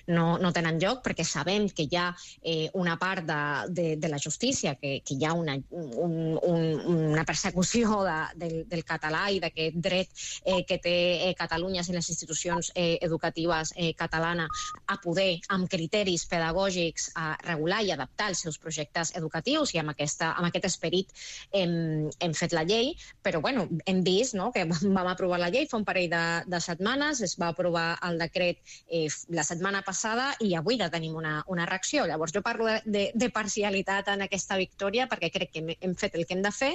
no, no tenen lloc, perquè sabem que hi ha eh, una part de, de, de la justícia, que, que hi ha una, un, un, una persecució de, del, del català i d'aquest dret eh, que té eh, Catalunya i les institucions eh, educatives eh, catalanes a poder, amb criteris pedagògics, a regular i adaptar els seus projectes educatius, i amb, aquesta, amb aquest esperit eh, Hem, hem fet la llei, però bueno, hem vist, no?, que vam aprovar la llei fa un parell de, de setmanes, es va aprovar el decret eh, la setmana passada i avui ja tenim una, una reacció. Llavors jo parlo de, de, de parcialitat en aquesta victòria perquè crec que hem, hem fet el que hem de fer.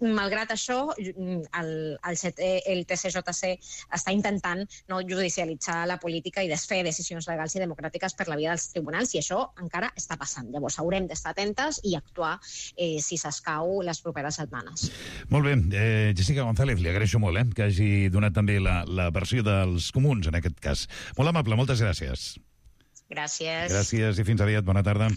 Malgrat això, el, el, el T C J C està intentant, no, judicialitzar la política i desfer decisions legals i democràtiques per la via dels tribunals, i això encara està passant. Llavors haurem d'estar atentes i actuar eh, si s'escau les properes setmanes. Molt bé. Eh, Jessica González, li agraeixo molt eh, que hagi donat també la, la versió dels comuns, en aquest cas. Molt amable, moltes gràcies. Gràcies. Gràcies i fins aviat, bona tarda.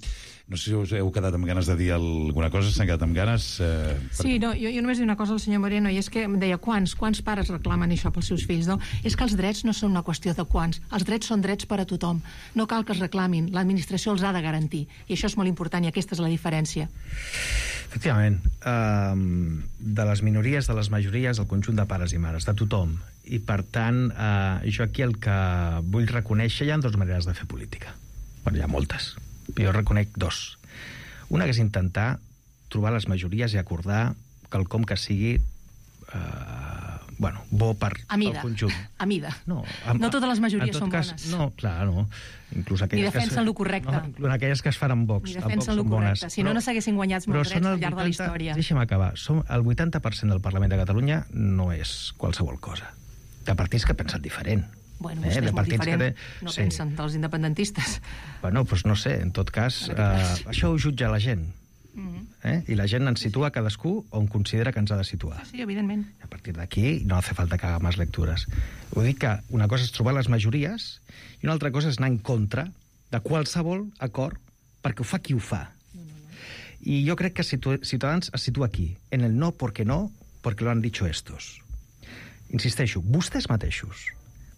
No sé si us heu quedat amb ganes de dir alguna cosa, s'han quedat amb ganes? Eh, per... Sí, no, jo, jo només dic una cosa al senyor Moreno, i és que em deia, quants, quants pares reclamen això pels seus fills, no? És que els drets no són una qüestió de quants, els drets són drets per a tothom. No cal que els reclamin, l'administració els ha de garantir, i això és molt important, i aquesta és la diferència. Efectivament, um, de les minories, de les majories, del conjunt de pares i mares, de tothom. I, per tant, uh, jo aquí el que vull reconèixer, hi ha dues maneres de fer política. Bueno, hi ha moltes. Jo reconec dos. Una que és intentar trobar les majories i acordar quelcom que sigui eh, bueno, bo per a mida. el conjunt. A mida. No, a, no totes les majories són cas, bones. No, clar, no. Inclús Ni defensen es, el correcte. No, inclús aquelles que es fan amb Vox. Ni defensen el correcte. Si no, no s'haguessin guanyat molts drets al llarg de la història. Deixa'm acabar. Som, el vuitanta per cent del Parlament de Catalunya no és qualsevol cosa. De partits que pensen diferent. Bueno, vostè eh, és molt diferent, que té... no sí. pensen dels independentistes. Bueno, doncs no sé, en tot cas, eh, això ho jutja la gent. Mm-hmm. eh? I la gent ens situa cadascú on considera que ens ha de situar. Sí, evidentment. I a partir d'aquí no hace falta que haga més lectures. Vull dir que una cosa és trobar les majories i una altra cosa és anar en contra de qualsevol acord perquè ho fa qui ho fa. No, no, no. I jo crec que Ciutadans es situa aquí, en el no porque no, porque lo han dicho estos. Insisteixo, vostès mateixos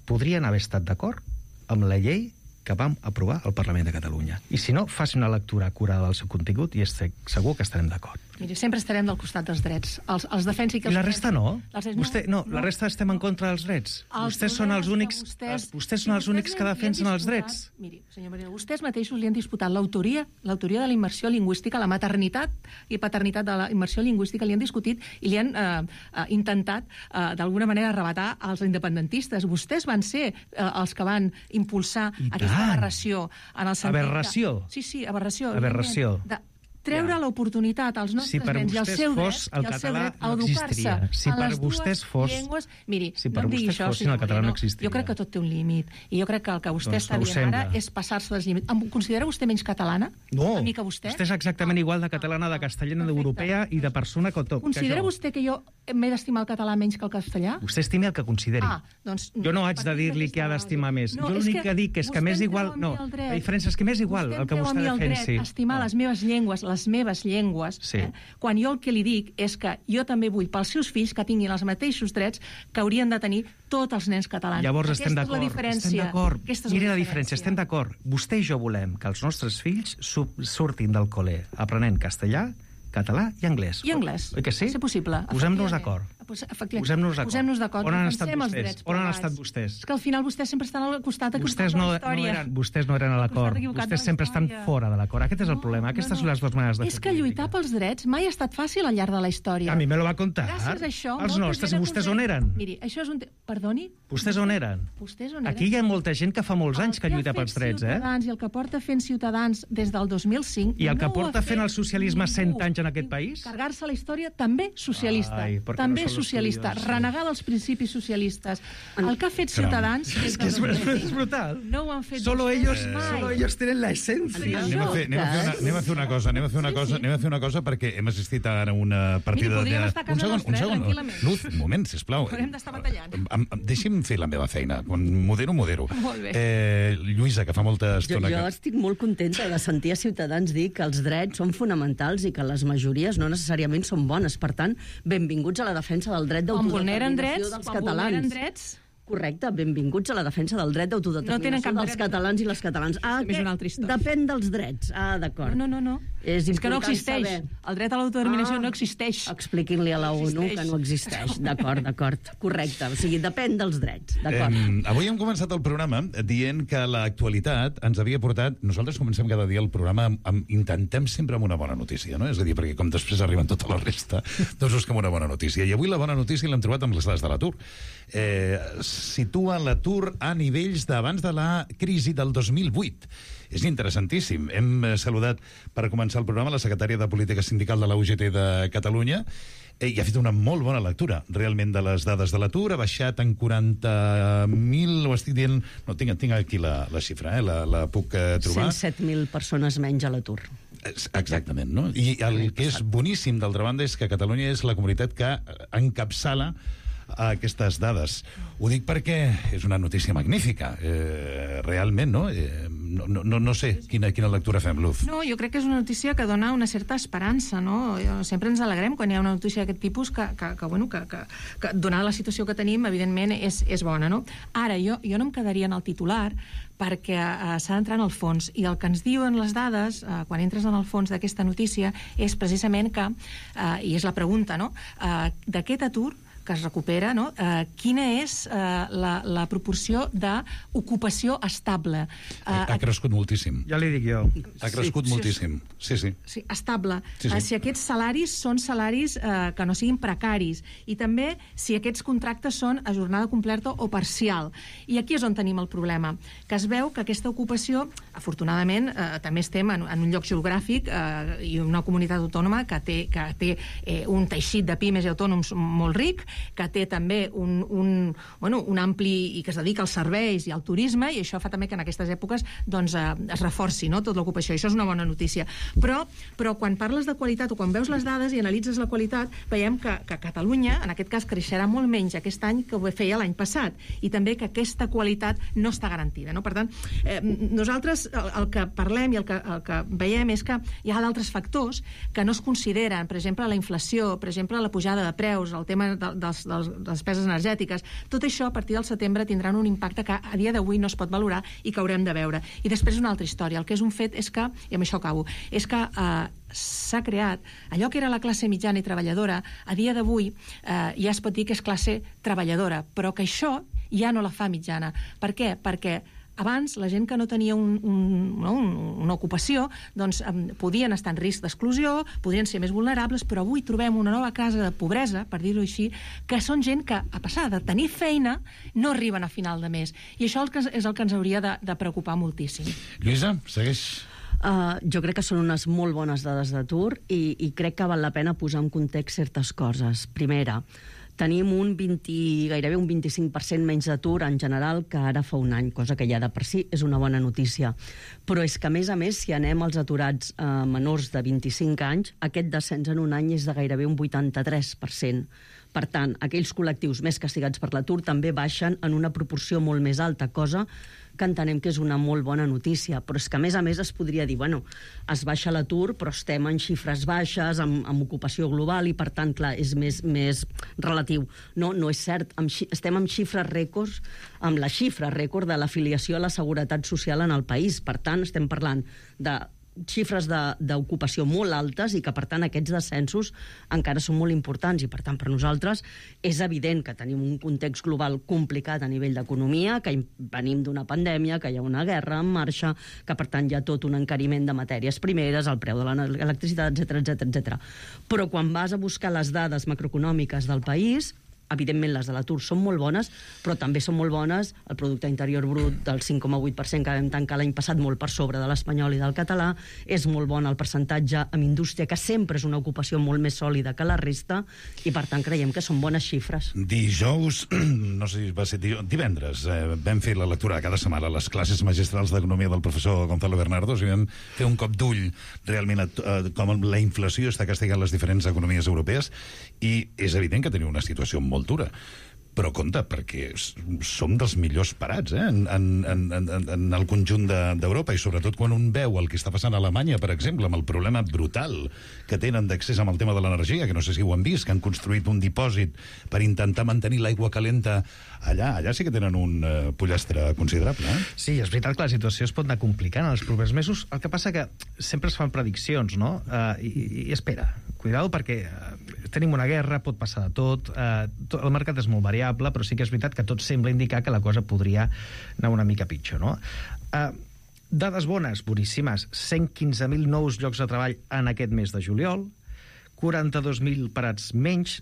podrien haver estat d'acord amb la llei que vam aprovar al Parlament de Catalunya. I si no, faci una lectura acurada del seu contingut i estic segur que estarem d'acord. Miri, sempre estarem del costat dels drets. Els, els defensi que els I la resta no? Els... Vostè, no, no, la resta estem en contra dels drets. Els vostès són els únics, vostès, vostès són els únics que defensen els drets. Miri, senyor Moreno, vostès mateixos li han disputat l'autoria l'autoria de la immersió lingüística, la maternitat i paternitat de la immersió lingüística, li han discutit i li han eh, eh, intentat eh, d'alguna manera arrebatar als independentistes. Vostès van ser eh, els que van impulsar I aquesta tant. aberració. En el sentit aberració? Que... Sí, sí, aberració. Aberració. De treure ja. l'oportunitat als nostres si nens i el seu dret, el i el seu dret a no educar-se si en les dues fos, llengües. Miri, si no em digui això, fossin, el català no existiria. Jo crec que tot té un límit. I jo crec que el que vostè doncs està dient sembla. ara és passar-se dels límits. Em considera vostè menys catalana? No, a mi que vostè? vostè és exactament igual de catalana, de castellana, d'europea i de persona que tot. Considera que vostè que jo m'he d'estimar el català menys que el castellà? Vostè estimi el que consideri. Ah, doncs, jo no haig de dir-li que ha d'estimar més. No, jo l'únic que, que dic és que m'és igual... No, la diferència és que m'és igual el que vostè defensi. Estimar les meves llengües, les meves llengües, Sí. Eh? Quan jo el que li dic és que jo també vull pels seus fills que tinguin els mateixos drets que haurien de tenir tots els nens catalans. Llavors Aquesta estem d'acord. Estem d'acord. Miri la diferència, estem d'acord. Vostè i jo volem que els nostres fills surtin del col·le aprenent castellà, català i anglès. I anglès. Oi que sí? És possible. Posem-nos d'acord. Pues, efectivament, Posem-nos d'acord. posem-nos d'acord. On han defensem estat els vostès? drets On han plegats. estat vostès? És que al final vostès sempre estan al costat equivocat Vostès de no, la no història. eren, vostès no eren a l'acord. Costat equivocat de Vostès la sempre estan història. fora de l'acord. Aquest és el problema. Aquestes són les dues maneres de fer És que lluitar pels drets mai ha estat fàcil al llarg de la història. A mi me lo va contar. Gràcies a això... Els molta nostres, gent i ha vostès aconseguit- on eren? Miri, això és un... Te... Perdoni? Vostès on eren? Vostès on eren? Aquí hi ha molta gent que fa molts anys que lluita pels drets, eh? Ciutadans, I el que porta fent Ciutadans des del dos mil cinc... I el que no ho porta ha fent fet el socialisme ningú. cent anys en aquest país? Carregar-se la història també socialista. Ai, perquè també no són los socialista. tuyos. Renegar dels principis socialistes. El que ha fet Caram. Ciutadans... És que és, és brutal. No ho han fet Solo vostès ellos, mai. solo ellos tienen la esencia. Anem a, fer, anem, a fer una, anem a fer una cosa, anem a fer una cosa, anem a fer una cosa perquè hem assistit ara a una partida Mira, podríem de... estar a casa un segon, nostra, un eh, segon. tranquil·lament. Luz, un moment, sisplau. Haurem d'estar batallant. Em, em, deixi'm fer la meva feina. Quan modero, modero. Molt bé. Eh, Lluïsa, que fa molta Jo, estona jo que... estic molt contenta de sentir a Ciutadans dir que els drets són fonamentals i que les majories no necessàriament són bones. Per tant, benvinguts a la defensa del dret Quan vulneren d'autodeterminació drets, dels quan catalans. vulneren drets... Correcte, benvinguts a la defensa del dret No tenen d'autodeterminació cap dels dret. catalans i les catalans. Ah, També és que una altra història. depèn dels drets. Ah, d'acord. No, no, no. És, És que no important existeix. saber. El dret a l'autodeterminació Ah. no existeix. Expliquin-li a la ONU existeix. que no existeix. D'acord, d'acord. Correcte. O sigui, depèn dels drets. D'acord. Eh, avui hem començat el programa dient que l'actualitat ens havia portat... Nosaltres comencem cada dia el programa amb, amb, intentem sempre amb una bona notícia, no? És a dir, perquè com després arriben tota la resta, doncs busquem una bona notícia. I avui la bona notícia l'hem trobat amb les dades de l'atur. Eh, situa l'atur a nivells d'abans de la crisi del dos mil vuit. És interessantíssim. Hem eh, saludat per començar el programa la secretària de Política Sindical de la U G T de Catalunya eh, i ha fet una molt bona lectura, realment, de les dades de l'atur. Ha baixat en quaranta mil, ho estic dient... No, tinc, tinc aquí la, la xifra, eh? la, la puc eh, trobar. cent set mil persones menys a l'atur. Exactament, no? I el que és boníssim, d'altra banda, és que Catalunya és la comunitat que encapçala a aquestes dades. Ho dic perquè és una notícia magnífica, eh, realment, no? Eh, no, no? No sé quina, quina lectura fem, Luz. No, jo crec que és una notícia que dona una certa esperança, no? Sempre ens alegrem quan hi ha una notícia d'aquest tipus que, que, que, bueno, que, que, que donada la situació que tenim, evidentment, és, és bona, no? Ara, jo, jo no em quedaria en el titular perquè uh, s'ha d'entrar en el fons, i el que ens diuen les dades, uh, quan entres en el fons d'aquesta notícia, és precisament que, uh, i és la pregunta, no?, uh, d'aquest atur que es recupera, no? Eh, quina és eh, la, la proporció d'ocupació estable? Eh, Ha crescut moltíssim. Ja li dic jo. Ha crescut Sí. moltíssim. Sí, sí. Sí, estable. Sí, sí. Eh, si aquests salaris són salaris eh, que no siguin precaris, i també si aquests contractes són a jornada completa o parcial. I aquí és on tenim el problema, que es veu que aquesta ocupació, afortunadament, eh, també estem en, en un lloc geogràfic eh, i una comunitat autònoma que té, que té eh, un teixit de pimes i autònoms molt ric, que té també un, un, bueno, un ampli i que es dedica als serveis i al turisme, i això fa també que en aquestes èpoques doncs, eh, es reforci, no?, tota l'ocupació. Això és una bona notícia. Però, però quan parles de qualitat o quan veus les dades i analitzes la qualitat, veiem que, que Catalunya, en aquest cas, creixerà molt menys aquest any que ho feia l'any passat, i també que aquesta qualitat no està garantida, no? Per tant, eh, nosaltres el, el que parlem i el que, el que veiem és que hi ha d'altres factors que no es consideren, per exemple, la inflació, per exemple, la pujada de preus, el tema de, dels, dels, de les despeses energètiques. Tot això, a partir del setembre, tindran un impacte que a dia d'avui no es pot valorar i que haurem de veure. I després una altra història. El que és un fet és que, i amb això acabo, és que eh, s'ha creat allò que era la classe mitjana i treballadora, a dia d'avui eh, ja es pot dir que és classe treballadora, però que això ja no la fa mitjana. Per què? Perquè abans, la gent que no tenia un, un, no, una ocupació, doncs um, podien estar en risc d'exclusió, podrien ser més vulnerables, però avui trobem una nova casa de pobresa, per dir-ho així, que són gent que, a passar de tenir feina, no arriben a final de mes. I això és el que ens hauria de, de preocupar moltíssim. Lluïsa, segueix. Uh, jo crec que són unes molt bones dades d'atur i, i crec que val la pena posar en context certes coses. Primera, tenim un vint, gairebé un vint-i-cinc per cent menys d'atur en general que ara fa un any, cosa que ja de per si és una bona notícia. Però és que, a més a més, si anem als aturats eh, menors de vint-i-cinc anys, aquest descens en un any és de gairebé un vuitanta-tres per cent. Per tant, aquells col·lectius més castigats per l'atur també baixen en una proporció molt més alta, cosa que entenem que és una molt bona notícia. Però és que, a més a més, es podria dir, bueno, es baixa l'atur, però estem en xifres baixes, amb, amb ocupació global, i, per tant, clar, és més, més relatiu. No, no és cert. Amb, estem amb xifres rècords, amb la xifra rècord de l'afiliació a la Seguretat Social en el país. Per tant, estem parlant de xifres d'ocupació molt altes i que, per tant, aquests descensos encara són molt importants i, per tant, per nosaltres és evident que tenim un context global complicat a nivell d'economia, que venim d'una pandèmia, que hi ha una guerra en marxa, que, per tant, hi ha tot un encariment de matèries primeres, el preu de l'electricitat, etcètera, etcètera, etcètera. Però quan vas a buscar les dades macroeconòmiques del país, evidentment les de l'atur són molt bones, però també són molt bones el producte interior brut del cinc coma vuit per cent que vam tancar l'any passat, molt per sobre de l'espanyol i del català. És molt bon el percentatge en indústria, que sempre és una ocupació molt més sòlida que la resta, i per tant creiem que són bones xifres. Dijous, no sé si va ser divendres, eh, vam fer la lectura cada setmana a les classes magistrals d'economia del professor Gonzalo Bernardos i vam fer un cop d'ull realment a, a com la inflació està castigant les diferents economies europees, i és evident que teniu una situació molt molt dura. Però compte, perquè som dels millors parats eh? en, en, en, en el conjunt d'Europa, i sobretot quan un veu el que està passant a Alemanya, per exemple, amb el problema brutal que tenen d'accés amb el tema de l'energia, que no sé si ho han vist, que han construït un dipòsit per intentar mantenir l'aigua calenta allà. Allà sí que tenen un uh, pollastre considerable. Eh? Sí, és veritat que la situació es pot anar complicant en els propers mesos. El que passa que sempre es fan prediccions, no? Uh, i, i espera, cuidado, perquè uh, tenim una guerra, pot passar de tot, uh, tot, el mercat és molt variable, però sí que és veritat que tot sembla indicar que la cosa podria anar una mica pitjor, no? Uh, dades bones, boníssimes. cent quinze mil nous llocs de treball en aquest mes de juliol, quaranta-dos mil parats menys,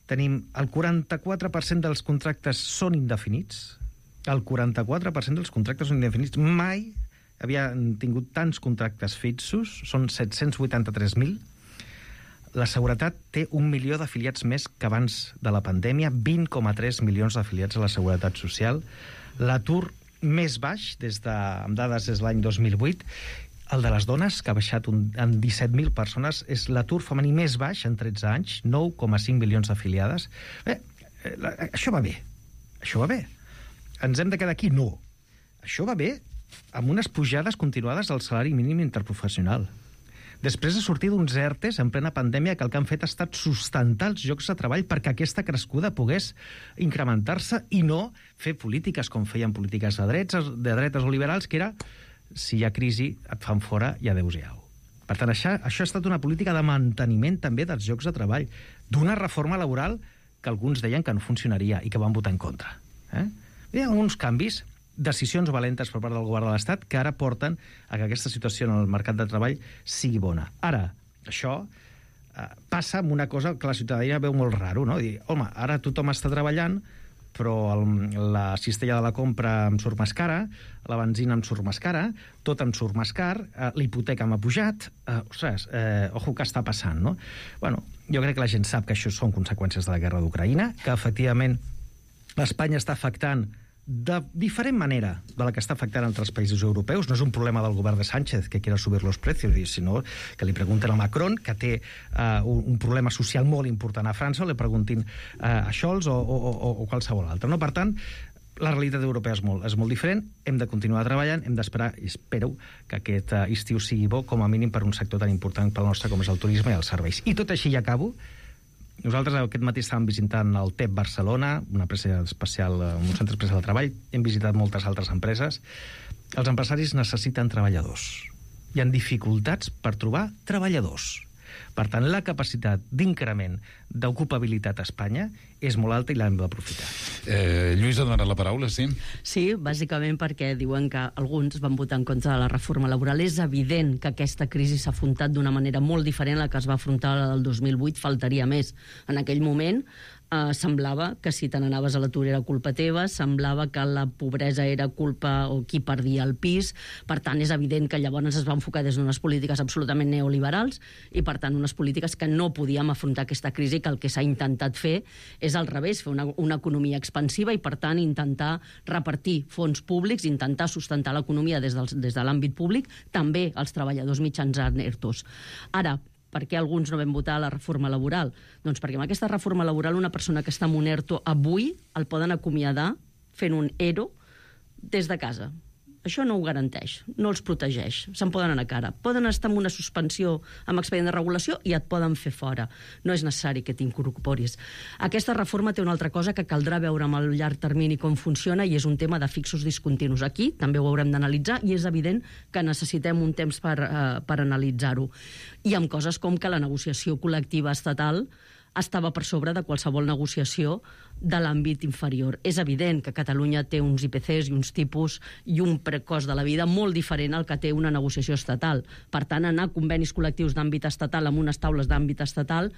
tenim el quaranta-quatre per cent dels contractes són indefinits, el quaranta-quatre per cent dels contractes són indefinits. Mai havien tingut tants contractes fixos, són set-cents vuitanta-tres mil. La Seguretat té un milió d'afiliats més que abans de la pandèmia, vint coma tres milions d'afiliats a la Seguretat Social. L'atur més baix, des de, amb dades des de l'any dos mil vuit, el de les dones, que ha baixat un, en disset mil persones, és l'atur femení més baix en tretze anys, nou coma cinc milions d'afiliades. Bé, la, això va bé. Això va bé. Ens hem de quedar aquí? No. Això va bé amb unes pujades continuades del salari mínim interprofessional. Després de sortir d'uns ERTEs en plena pandèmia, que el que han fet ha estat sustentar els llocs de treball perquè aquesta crescuda pogués incrementar-se i no fer polítiques com feien polítiques de drets, de dretes o liberals, que era, si hi ha crisi, et fan fora i adéu-siau. Per tant, això, això ha estat una política de manteniment també dels llocs de treball, d'una reforma laboral que alguns deien que no funcionaria i que van votar en contra. Eh? Hi ha alguns canvis, decisions valentes per part del govern de l'Estat que ara porten a que aquesta situació en el mercat de treball sigui bona. Ara, això eh, passa amb una cosa que la ciutadania veu molt raro, no? Dir, home, ara tothom està treballant, però el, la cistella de la compra em surt més cara, la benzina em surt més cara, tot em surt més car, eh, l'hipoteca m'ha pujat, eh, ostres, eh, ojo, què està passant, no? Bueno, jo crec que la gent sap que això són conseqüències de la guerra d'Ucraïna, que efectivament l'Espanya està afectant de diferent manera de la que està afectant altres països europeus. No és un problema del govern de Sánchez que quiera subir los precios, sinó que li pregunten a Macron, que té uh, un, un problema social molt important a França, o li preguntin uh, a Scholz o, o, o, o qualsevol altre. No? Per tant, la realitat europea és molt, és molt diferent, hem de continuar treballant, hem d'esperar, i espero que aquest uh, estiu sigui bo, com a mínim per un sector tan important pel nostre com és el turisme i els serveis. I tot així ja acabo. Nosaltres aquest matí estàvem visitant el T E P Barcelona, una empresa especial, un centre especial de treball. Hem visitat moltes altres empreses. Els empresaris necessiten treballadors. Hi ha dificultats per trobar treballadors. Per tant, la capacitat d'increment d'ocupabilitat a Espanya és molt alta i l'hem d'aprofitar. Eh, Lluís ha donat la paraula, sí? Sí, bàsicament perquè diuen que alguns van votar en contra de la reforma laboral. És evident que aquesta crisi s'ha afrontat d'una manera molt diferent a la que es va afrontar el dos mil vuit, faltaria més. En aquell moment eh, semblava que si te n'anaves a l'atur era culpa teva, semblava que la pobresa era culpa o qui perdia el pis. Per tant, és evident que llavors es va enfocar des d'unes polítiques absolutament neoliberals i, per tant, unes polítiques que no podíem afrontar aquesta crisi, que el que s'ha intentat fer és al revés, fer una, una economia expansiva i, per tant, intentar repartir fons públics, intentar sustentar l'economia des, del, des de l'àmbit públic, també els treballadors mitjançant ERTOs. Ara, per què alguns no vam votar la reforma laboral? Doncs perquè amb aquesta reforma laboral una persona que està en un ERTO avui el poden acomiadar fent un ERO des de casa. això no ho garanteix, no els protegeix, se'n poden anar a cara. Poden estar en una suspensió amb expedient de regulació i et poden fer fora. No és necessari que t'incorporis. Aquesta reforma té una altra cosa que caldrà veure amb el llarg termini com funciona i és un tema de fixos discontinus. Aquí també ho haurem d'analitzar i és evident que necessitem un temps per, eh, per analitzar-ho. I amb coses com que la negociació col·lectiva estatal estava per sobre de qualsevol negociació de l'àmbit inferior. És evident que Catalunya té uns I P Cs i uns tipus i un precost de la vida molt diferent al que té una negociació estatal. Per tant, anar a convenis col·lectius d'àmbit estatal amb unes taules d'àmbit estatal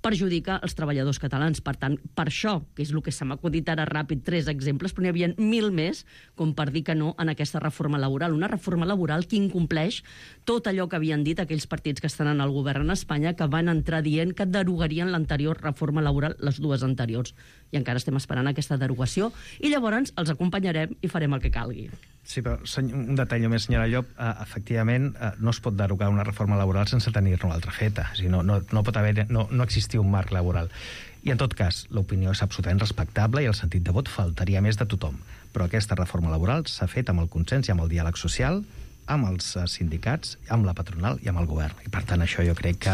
perjudica els treballadors catalans. Per tant, per això, que és el que se m'ha acudit ara ràpid, tres exemples, però n'hi havia mil més com per dir que no en aquesta reforma laboral. Una reforma laboral que incompleix tot allò que havien dit aquells partits que estan en el govern en Espanya, que van entrar dient que derogarien l'anterior reforma laboral, les dues anteriors. I encara estem esperant aquesta derogació i llavors els acompanyarem i farem el que calgui. Sí, però un detall més, senyora Llop. Eh, efectivament, eh, no es pot derogar una reforma laboral sense tenir-ne una altra feta. O sigui, no, no, no pot haver, no, no existir un marc laboral. I, en tot cas, l'opinió és absolutament respectable i el sentit de vot faltaria més de tothom. Però aquesta reforma laboral s'ha fet amb el consens i amb el diàleg social, amb els sindicats, amb la patronal i amb el govern. I, per tant, això jo crec que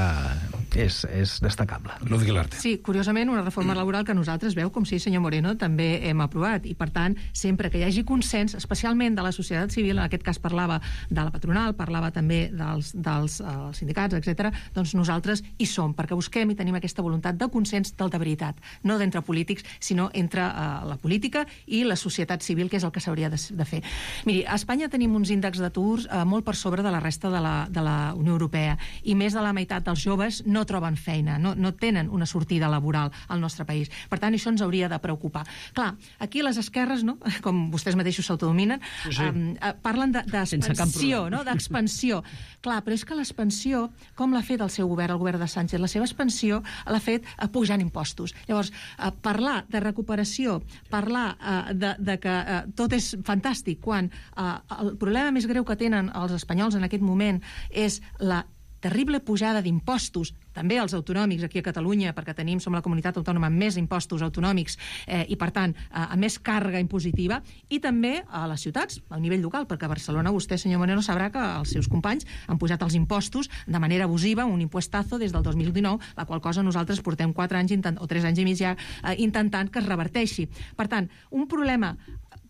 és, és destacable. Lúdic Larte. Sí, curiosament, una reforma laboral que nosaltres, veu, com sí, senyor Moreno, també hem aprovat. I, per tant, sempre que hi hagi consens, especialment de la societat civil, en aquest cas parlava de la patronal, parlava també dels, dels uh, sindicats, etcètera, doncs nosaltres hi som, perquè busquem i tenim aquesta voluntat de consens del de veritat, no d'entre polítics, sinó entre uh, la política i la societat civil, que és el que s'hauria de, de fer. Miri, a Espanya tenim uns índexs d'atur eh, molt per sobre de la resta de la, de la Unió Europea i més de la meitat dels joves no troben feina, no, no tenen una sortida laboral al nostre país. Per tant, això ens hauria de preocupar. Clar, aquí les esquerres, no? Com vostès mateixos s'autodominen, sí, sí. eh, parlen d'expansió, de, no? d'expansió. Clar, però és que l'expansió, com l'ha fet el seu govern, el govern de Sánchez? La seva expansió l'ha fet eh, pujant impostos. Llavors, eh, parlar de recuperació, parlar eh, de, de que eh, tot és fantàstic, quan eh, el problema més greu que tenen els espanyols en aquest moment és la terrible pujada d'impostos, també els autonòmics aquí a Catalunya, perquè tenim, som la comunitat autònoma amb més impostos autonòmics eh, i, per tant, eh, amb més càrrega impositiva, i també a les ciutats, a nivell local, perquè a Barcelona vostè, senyor Moreno, sabrà que els seus companys han pujat els impostos de manera abusiva, un impuestazo des del dos mil dinou, la qual cosa nosaltres portem quatre anys intent, o tres anys i mig ja eh, intentant que es reverteixi. Per tant, un problema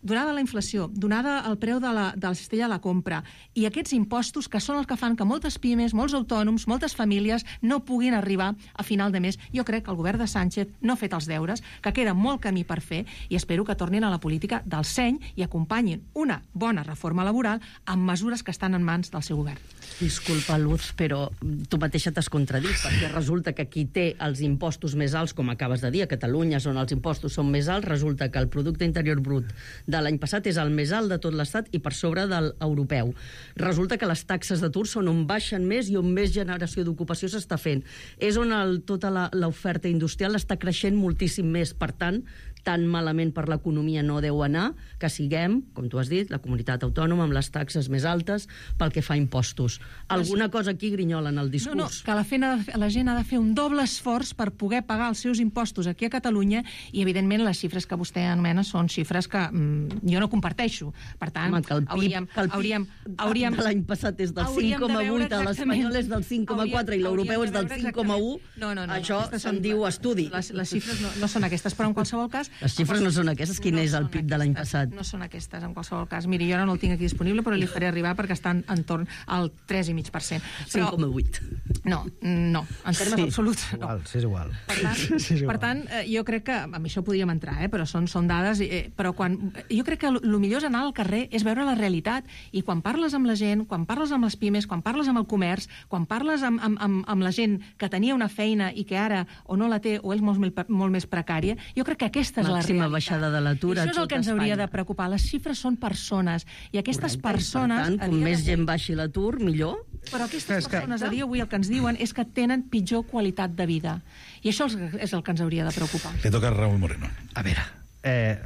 donada la inflació, donada el preu de la, de la cistella de la compra i aquests impostos que són els que fan que moltes pimes, molts autònoms, moltes famílies no puguin arribar a final de mes. Jo crec que el govern de Sánchez no ha fet els deures, que queda molt camí per fer i espero que tornin a la política del seny i acompanyin una bona reforma laboral amb mesures que estan en mans del seu govern. Disculpa, Luz, però tu mateixa t'has contradit, perquè resulta que qui té els impostos més alts, com acabes de dir, a Catalunya, on els impostos són més alts, resulta que el producte interior brut de l'any passat és el més alt de tot l'Estat i per sobre del europeu. Resulta que les taxes d'atur són on baixen més i on més generació d'ocupació s'està fent. És on el, tota l'oferta industrial està creixent moltíssim més. Per tant, tan malament per l'economia no deu anar que siguem, com tu has dit, la comunitat autònoma amb les taxes més altes pel que fa a impostos. Alguna cosa aquí grinyola en el discurs. No, no, que la, fena, la gent ha de fer un doble esforç per poder pagar els seus impostos aquí a Catalunya i, evidentment, les xifres que vostè anomena són xifres que mm, jo no comparteixo. Per tant, Home, que el P I B, hauríem... que el P I B hauríem, hauríem l'any passat és del cinc coma vuit, a l'espanyol és del cinc coma quatre i l'europeu és del cinc coma u. No, no, no, això se'n diu estudi. Les, les xifres no, no són aquestes, però en qualsevol cas... Les xifres no són aquestes. Quin no és el P I B de l'any passat? No són aquestes, en qualsevol cas. Miri, jo ara no el tinc aquí disponible, però li faré arribar perquè estan en torn al tres coma cinc per cent. cinc coma vuit. No, no, en termes sí, absoluts. No. Igual, sí, és igual. Per tant, sí, és igual. per tant eh, jo crec que amb això podríem entrar, eh, però són, són dades, eh, però quan, jo crec que el millor és anar al carrer, és veure la realitat, i quan parles amb la gent, quan parles amb les pimes, quan parles amb el comerç, quan parles amb, amb, amb, amb la gent que tenia una feina i que ara o no la té o és molt, molt més precària, jo crec que aquesta és la realitat. Màxima baixada de l'atur a això és el que ens hauria de preocupar. Les xifres són persones, i aquestes Correcte, persones... Per tant, com més gent baixi l'atur, millor. Però aquestes persones a dia avui el que ens diuen és que tenen pitjor qualitat de vida. I això és el que ens hauria de preocupar. Le toca a Raúl Moreno. A veure, eh,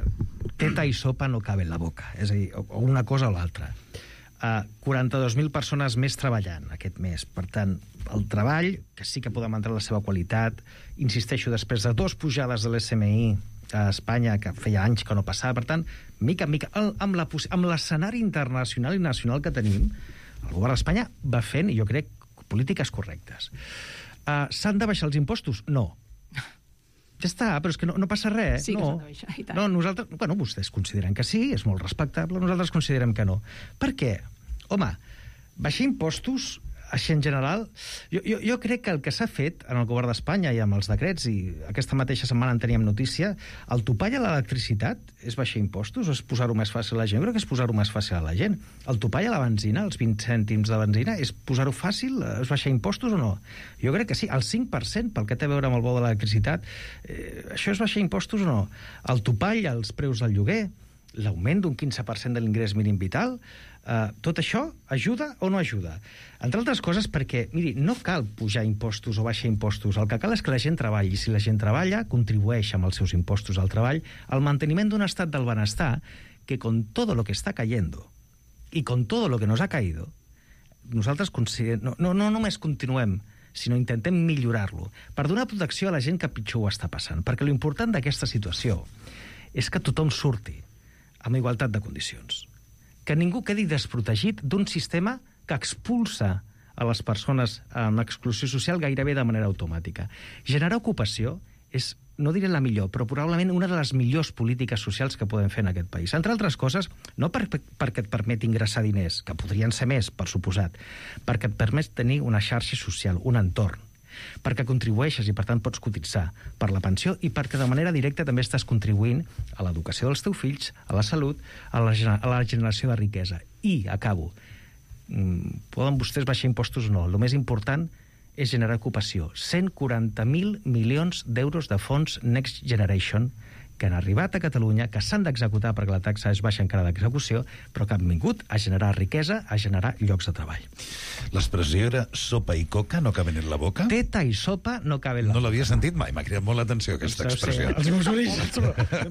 teta i sopa no caben en la boca. És a dir, o una cosa o l'altra. Uh, quaranta-dos mil persones més treballant aquest mes. Per tant, el treball, que sí que podem entrar en la seva qualitat, insisteixo, després de dos pujades de l'S M I, a Espanya, que feia anys que no passava. Per tant, mica en mica, el, amb, la, amb l'escenari internacional i nacional que tenim, el govern d'Espanya va fent, jo crec, polítiques correctes. Uh, S'han de baixar els impostos? No. Ja està, però és que no, no passa res. Sí que no. s'han de baixar, i tant. No, nosaltres, bueno, vostès consideren que sí, és molt respectable, nosaltres considerem que no. Per què? Home, baixar impostos, així en general, jo, jo, jo crec que el que s'ha fet en el govern d'Espanya i amb els decrets, i aquesta mateixa setmana en teníem notícia, el topall a l'electricitat és baixar impostos o és posar-ho més fàcil a la gent? Jo crec que és posar-ho més fàcil a la gent. El topall a la benzina, els vint cèntims de benzina, és posar-ho fàcil? És baixar impostos o no? Jo crec que sí. El cinc per cent, pel que té a veure amb el bo de l'electricitat, eh, això és baixar impostos o no? El topall als preus del lloguer, l'augment d'un quinze per cent de l'ingrés mínim vital, Uh, tot això ajuda o no ajuda? Entre altres coses perquè, miri, no cal pujar impostos o baixar impostos. El que cal és que la gent treballi. Si la gent treballa, contribueix amb els seus impostos al treball al manteniment d'un estat del benestar que con todo lo que está cayendo y con todo lo que nos ha caído, nosaltres no, no, no només continuem, sinó intentem millorar-lo per donar protecció a la gent que pitjor ho està passant. Perquè l'important d'aquesta situació és que tothom surti amb igualtat de condicions. Que ningú quedi desprotegit d'un sistema que expulsa a les persones en exclusió social gairebé de manera automàtica. Generar ocupació és, no diré la millor, però probablement una de les millors polítiques socials que podem fer en aquest país. Entre altres coses, no per, perquè et permet ingressar diners, que podrien ser més, per suposat, perquè et permet tenir una xarxa social, un entorn, perquè contribueixes i, per tant, pots cotitzar per la pensió i perquè de manera directa també estàs contribuint a l'educació dels teus fills, a la salut, a la, a la generació de riquesa. I, acabo, poden vostès baixar impostos o no. El més important és generar ocupació. cent quaranta mil milions d'euros de fons Next Generation que han arribat a Catalunya, que s'han d'executar perquè la taxa és baixa encara d'execució, però que han vingut a generar riquesa, a generar llocs de treball. L'expressió era sopa i coca no caben en la boca? Teta i sopa no caben en la boca. No l'havia sentit mai, m'ha cridat molt l'atenció aquesta expressió. Els meus orígens.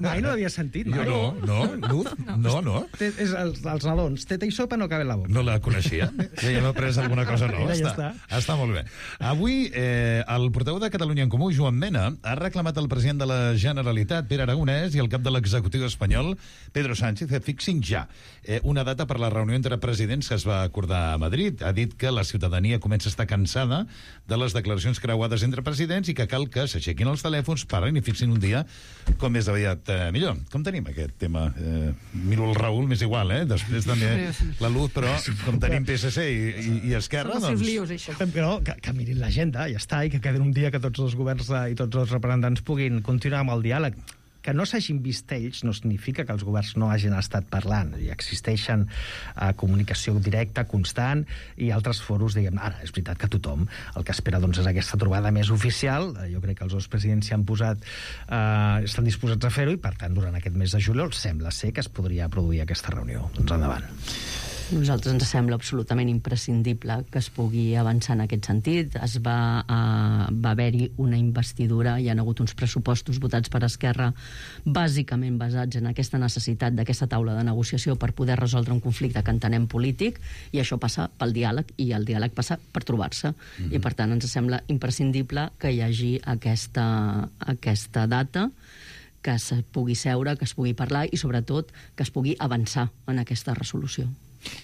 Mai no l'havia sentit. Mai. Jo no, no, Luz, no, no. És els, els nadons, teta i sopa no caben en la boca. No la coneixia? Ja hem après alguna cosa nova. Ja està, està. està molt bé. Avui, eh, el portaveu de Catalunya en Comú, Joan Mena, ha reclamat al president de la Generalitat, Pere Aragonès, i el cap de l'executiu espanyol, Pedro Sánchez, que fixin ja eh, una data per la reunió entre presidents que es va acordar a Madrid. Ha dit que la ciutadania comença a estar cansada de les declaracions creuades entre presidents i que cal que s'aixequin els telèfons, parin i fixin un dia com més aviat eh, millor. Com tenim aquest tema? Eh, miro el Raül, m'és igual, eh? Després també la Luz, però com tenim P S C i, i, i Esquerra, doncs... doncs... Lios, això. Però que, que mirin l'agenda, ja està, i que quedin un dia que tots els governs i tots els representants puguin continuar amb el diàleg. Que no s'hagin vist ells no significa que els governs no hagin estat parlant. Hi existeixen uh, comunicació directa, constant, i altres foros, diguem, ara, és veritat que tothom el que espera doncs, és aquesta trobada més oficial. Jo crec que els dos presidents s'hi han posat, uh, estan disposats a fer-ho, i per tant, durant aquest mes de juliol sembla ser que es podria produir aquesta reunió. Doncs endavant. A nosaltres ens sembla absolutament imprescindible que es pugui avançar en aquest sentit. Es va, uh, va haver-hi una investidura, hi ha hagut uns pressupostos votats per Esquerra bàsicament basats en aquesta necessitat d'aquesta taula de negociació per poder resoldre un conflicte que entenem polític, i això passa pel diàleg, i el diàleg passa per trobar-se. Mm-hmm. I per tant ens sembla imprescindible que hi hagi aquesta, aquesta data, que es pugui seure, que es pugui parlar i sobretot que es pugui avançar en aquesta resolució.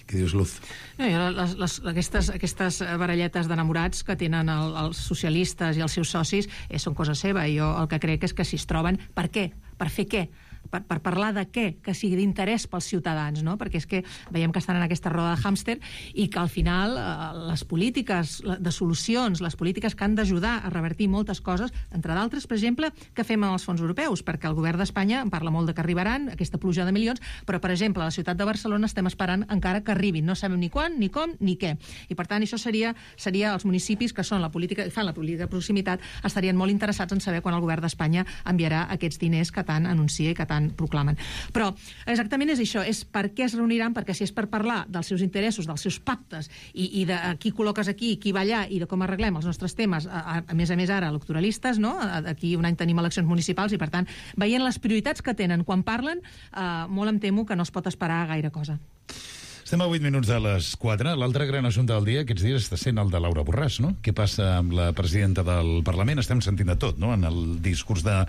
Què dius, Luz? No, jo, les, les, aquestes, aquestes baralletes d'enamorats que tenen el, els socialistes i els seus socis eh, són cosa seva. Jo el que crec és que si es troben... Per què? Per fer què? Per, per parlar de què? Que sigui d'interès pels ciutadans, no? Perquè és que veiem que estan en aquesta roda de hàmster i que al final eh, les polítiques de solucions, les polítiques que han d'ajudar a revertir moltes coses, entre d'altres, per exemple, que fem amb els fons europeus, perquè el govern d'Espanya en parla molt de que arribaran, aquesta pluja de milions, però, per exemple, a la ciutat de Barcelona estem esperant encara que arribin. No sabem ni quan, ni com, ni què. I, per tant, això seria, seria els municipis que són la política, fan la política de proximitat, estarien molt interessats en saber quan el govern d'Espanya enviarà aquests diners que tant anuncia i que tant proclamen. Però exactament és això, és per què es reuniran, perquè si és per parlar dels seus interessos, dels seus pactes i, i de qui col·loques aquí, qui va allà i de com arreglem els nostres temes, a, a, a més a més ara electoralistes, no? Aquí un any tenim eleccions municipals i, per tant, veient les prioritats que tenen quan parlen, eh, molt em temo que no es pot esperar gaire cosa. Estem a vuit minuts de les quatre. L'altre gran assumpte del dia aquests dies està sent el de Laura Borràs, no? Què passa amb la presidenta del Parlament? Estem sentint de tot, no? En el discurs de,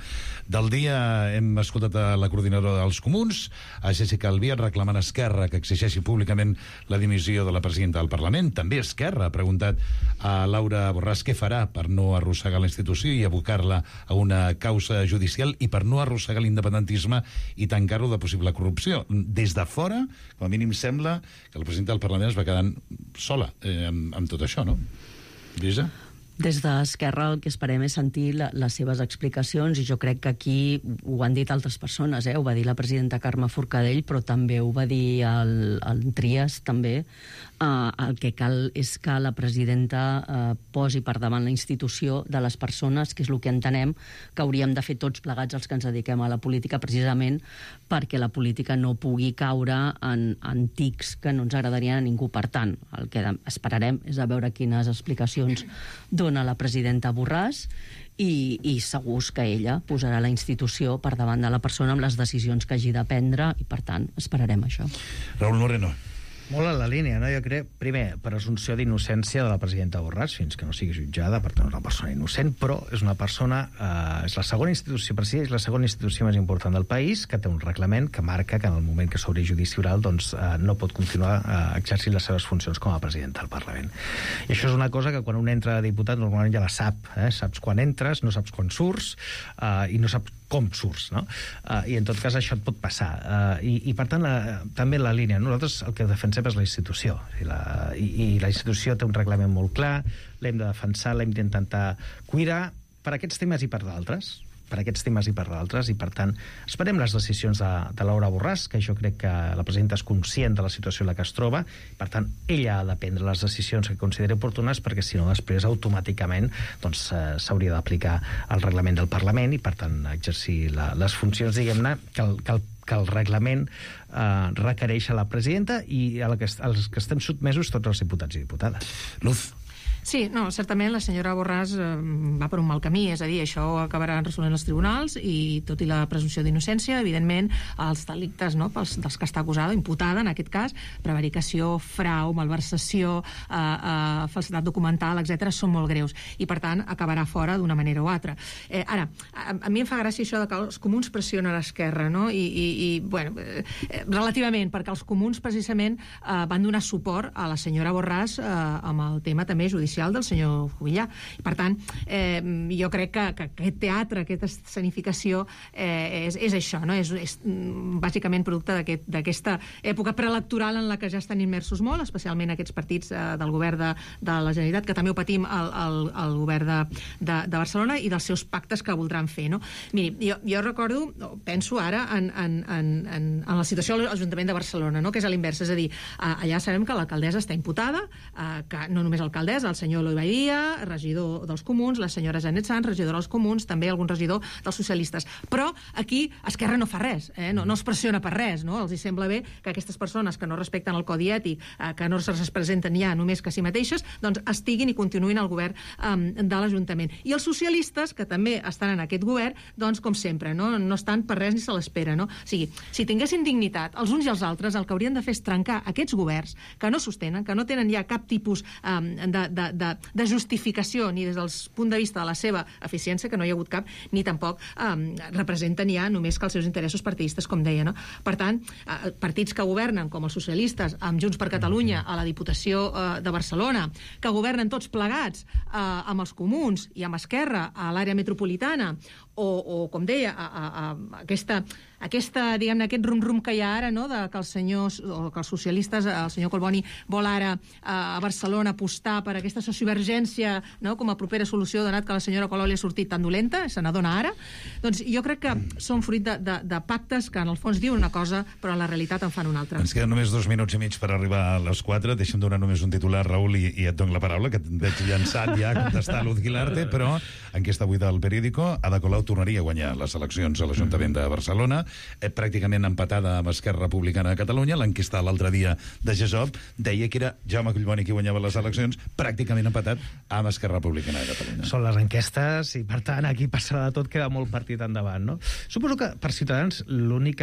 del dia hem escoltat a la coordinadora dels Comuns, a Jessica Albiach reclamant a Esquerra que exigeixi públicament la dimissió de la presidenta del Parlament. També Esquerra ha preguntat a Laura Borràs què farà per no arrossegar la institució i abocar-la a una causa judicial i per no arrossegar l'independentisme i tancar-lo de possible corrupció. Des de fora, com a mínim sembla que la presidenta del Parlament es va quedant sola eh, amb, amb tot això, no? Lluïsa? Des d'Esquerra el que esperem és sentir la, les seves explicacions, i jo crec que aquí ho han dit altres persones, eh? Ho va dir la presidenta Carme Forcadell, però també ho va dir el, el Trias, també. Uh, el que cal és que la presidenta uh, posi per davant la institució de les persones, que és el que entenem que hauríem de fer tots plegats els que ens dediquem a la política, precisament perquè la política no pugui caure en, en tics que no ens agradarien a ningú. Per tant, el que esperarem és a veure quines explicacions dona la presidenta Borràs i, i segur que ella posarà la institució per davant de la persona amb les decisions que hagi de prendre i, per tant, esperarem això. Raúl Moreno. Molt en la línia, no? Jo crec, primer, presumpció d'innocència de la presidenta Borràs, fins que no sigui jutjada, per tant, és una persona innocent, però és una persona, eh, és la segona institució, per si és la segona institució més important del país, que té un reglament que marca que en el moment que s'obri judici oral, doncs, eh, no pot continuar eh, exercint les seves funcions com a presidenta del Parlament. I això és una cosa que quan un entra de diputat normalment ja la sap, eh? Saps quan entres, no saps quan surts, eh, i no saps com surts, no? Uh, I en tot cas això et pot passar. Uh, i, I per tant, la, també la línia. Nosaltres el que defensem és la institució. I la, i, i la institució té un reglament molt clar, l'hem de defensar, l'hem d'intentar cuidar per aquests temes i per d'altres. per aquests temes i per d'altres, i per tant esperem les decisions de, de Laura Borràs, que jo crec que la presidenta és conscient de la situació en la que es troba, per tant ella ha de prendre les decisions que consideri oportunes, perquè si no després automàticament doncs, eh, s'hauria d'aplicar el reglament del Parlament i per tant exercir la, les funcions, diguem-ne, que el, que el que el reglament eh, requereix a la presidenta i a la que, als que estem sotmesos tots els diputats i diputades. Luz. Sí, no, certament la senyora Borràs eh, va per un mal camí, és a dir, això ho acabaran resolent els tribunals i tot i la presumpció d'innocència, evidentment, els delictes, no, pels, dels que està acusada, imputada, en aquest cas, prevaricació, frau, malversació, eh, eh, falsitat documental, etcètera, són molt greus i, per tant, acabarà fora d'una manera o altra. Eh, ara, a, a mi em fa gràcia això de que els comuns pressionen a l'esquerra, no? I, i, i bueno, eh, relativament, perquè els comuns, precisament, eh, van donar suport a la senyora Borràs eh, amb el tema també judicial del senyor Juvillà. Per tant, eh, jo crec que, que aquest teatre, aquesta escenificació eh, és, és això, no? És, és bàsicament producte d'aquesta època preelectoral en la que ja estan immersos molt, especialment aquests partits eh, del govern de, de la Generalitat, que també ho patim al, al, al govern de, de, de Barcelona i dels seus pactes que voldran fer, no? Miri, jo, jo recordo, penso ara en, en, en, en, en la situació de l'Ajuntament de Barcelona, no? Que és a l'invers, és a dir, allà sabem que l'alcaldessa està imputada, eh, que no només l'alcaldessa, el senyor Eloi Badia, regidor dels Comuns, la senyora Janet Sanz, regidora dels Comuns, també algun regidor dels socialistes. Però aquí Esquerra no fa res, eh? no, no es pressiona per res, no? Els hi sembla bé que aquestes persones que no respecten el codi ètic, eh, que no es presenten ja només que a si mateixes, doncs estiguin i continuïn al govern eh, de l'Ajuntament. I els socialistes, que també estan en aquest govern, doncs, com sempre, no, no estan per res ni se l'espera, no? O sigui, si tinguessin dignitat els uns i els altres, el que haurien de fer és trencar aquests governs que no sostenen, que no tenen ja cap tipus eh, de, de, de, de justificació ni des del punt de vista de la seva eficiència, que no hi ha hagut cap, ni tampoc eh, representen ja només que els seus interessos partidistes, com deia, no? Per tant, eh, partits que governen, com els socialistes, amb Junts per Catalunya a la Diputació eh, de Barcelona, que governen tots plegats eh, amb els Comuns i amb Esquerra a l'àrea metropolitana, o, o com deia, a, a, a aquesta, aquesta, diguem-ne, aquest rum-rum que hi ha ara, no?, de que els senyors, o que els socialistes, el senyor Collboni vol ara a Barcelona apostar per aquesta sociovergència, no?, com a propera solució, donat que la senyora Colau li ha sortit tan dolenta, se n'adona ara. Doncs jo crec que són fruit de, de, de pactes que en el fons diuen una cosa, però en la realitat en fan una altra. Ens queden només dos minuts i mig per arribar a les quatre. Deixa'm donar només un titular, Raül, i, i et dono la paraula, que et veig llançat ja a contestar Luz Guilarte, però enquesta avui del Periódico, Ada Colau tornaria a guanyar les eleccions a l'Ajuntament de Barcelona, eh, pràcticament empatada amb Esquerra Republicana de Catalunya. L'enquesta l'altre dia de GESOP deia que era Jaume Collboni qui guanyava les eleccions, pràcticament empatat amb Esquerra Republicana de Catalunya. Són les enquestes i, per tant, aquí passarà de tot, queda molt partit endavant, no? Suposo que per Ciutadans l'únic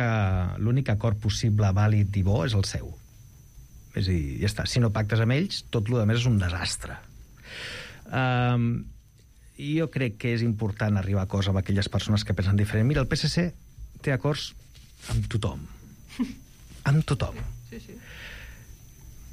l'únic acord possible, vàlid i bo és el seu. És a dir, ja està. Si no pactes amb ells, tot el més és un desastre. Um, jo crec que és important arribar a acords amb aquelles persones que pensen diferent. Mira, el P S C té acords amb tothom. Amb tothom. Sí, sí.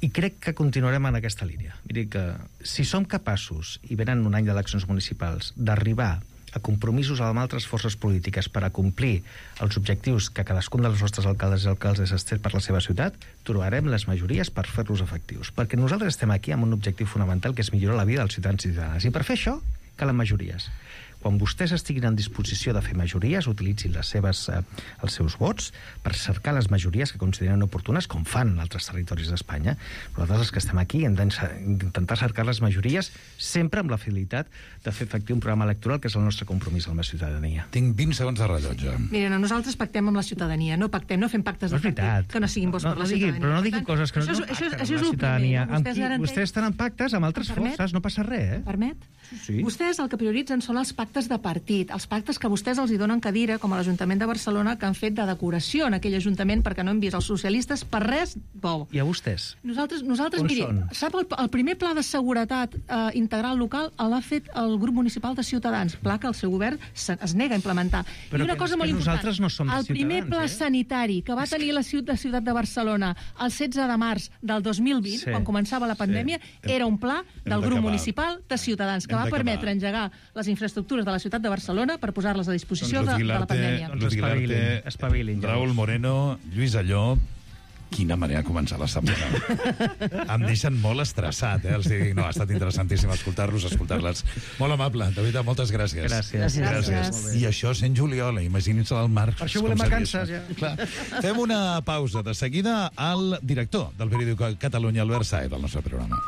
I crec que continuarem en aquesta línia. Miri que si som capaços, i venen un any d'eleccions municipals, d'arribar a compromisos amb altres forces polítiques per a complir els objectius que cadascun dels nostres alcaldes i alcaldes es té per la seva ciutat, trobarem les majories per fer-los efectius. Perquè nosaltres estem aquí amb un objectiu fonamental, que és millorar la vida dels ciutadans i ciutadanes. I per fer això calen majories. Quan vostès estiguin en disposició de fer majories, utilitzin les seves, eh, els seus vots per cercar les majories que consideren oportunes, com fan en altres territoris d'Espanya. Nosaltres, els que estem aquí, hem d'intentar cercar les majories sempre amb la fidelitat de fer efectiu un programa electoral, que és el nostre compromís amb la ciutadania. Tinc vint segons de rellotge. Miren, nosaltres pactem amb la ciutadania, no pactem, no fem pactes de partit que no siguin bons no, per la no digui, ciutadania. Però no diguin coses que no, això, no això, pacten això és amb la el ciutadania. primer. Amb Vostès qui, garanteix... vostès estan en pactes amb altres Permet? forces, no passa res, eh? Permet? Sí. Vostès el que prioritzen són els pactes de partit, els pactes que vostès els hi donen cadira, com a l'Ajuntament de Barcelona, que han fet de decoració en aquell Ajuntament perquè no hem vist els socialistes per res bo. I a vostès? Nosaltres, nosaltres On miri, són? sap, el, el primer pla de seguretat eh, integral local l'ha fet el grup municipal de Ciutadans, pla que el seu govern se, es nega a implementar. Però I una que, cosa que molt important, nosaltres no som de el primer Ciutadans, pla eh? sanitari que va tenir la ciutat, la ciutat de Barcelona el setze de març del dos mil vint, Sí. quan començava la pandèmia, Sí. era un pla Hem del grup d'acabar. municipal de Ciutadans, que Hem va d'acabar. permetre engegar les infraestructures de la ciutat de Barcelona per posar-les a disposició de, de la pandèmia. Luz Guilarte, espavilin, Raül Moreno, Lluís Alló. Quina manera de començar la setmana. Em deixen molt estressat, eh? Els dic, no, ha estat interessantíssim escoltar-los, escoltar-les. Molt amable, de veritat, moltes gràcies. Gràcies. gràcies. Gràcies. I això sent juliol, imaginin-se el Marc. Per això com volem seria vacances, això. ja. Clar. Fem una pausa. De seguida, al director del periòdic Catalunya, Albert Saez, del nostre programa.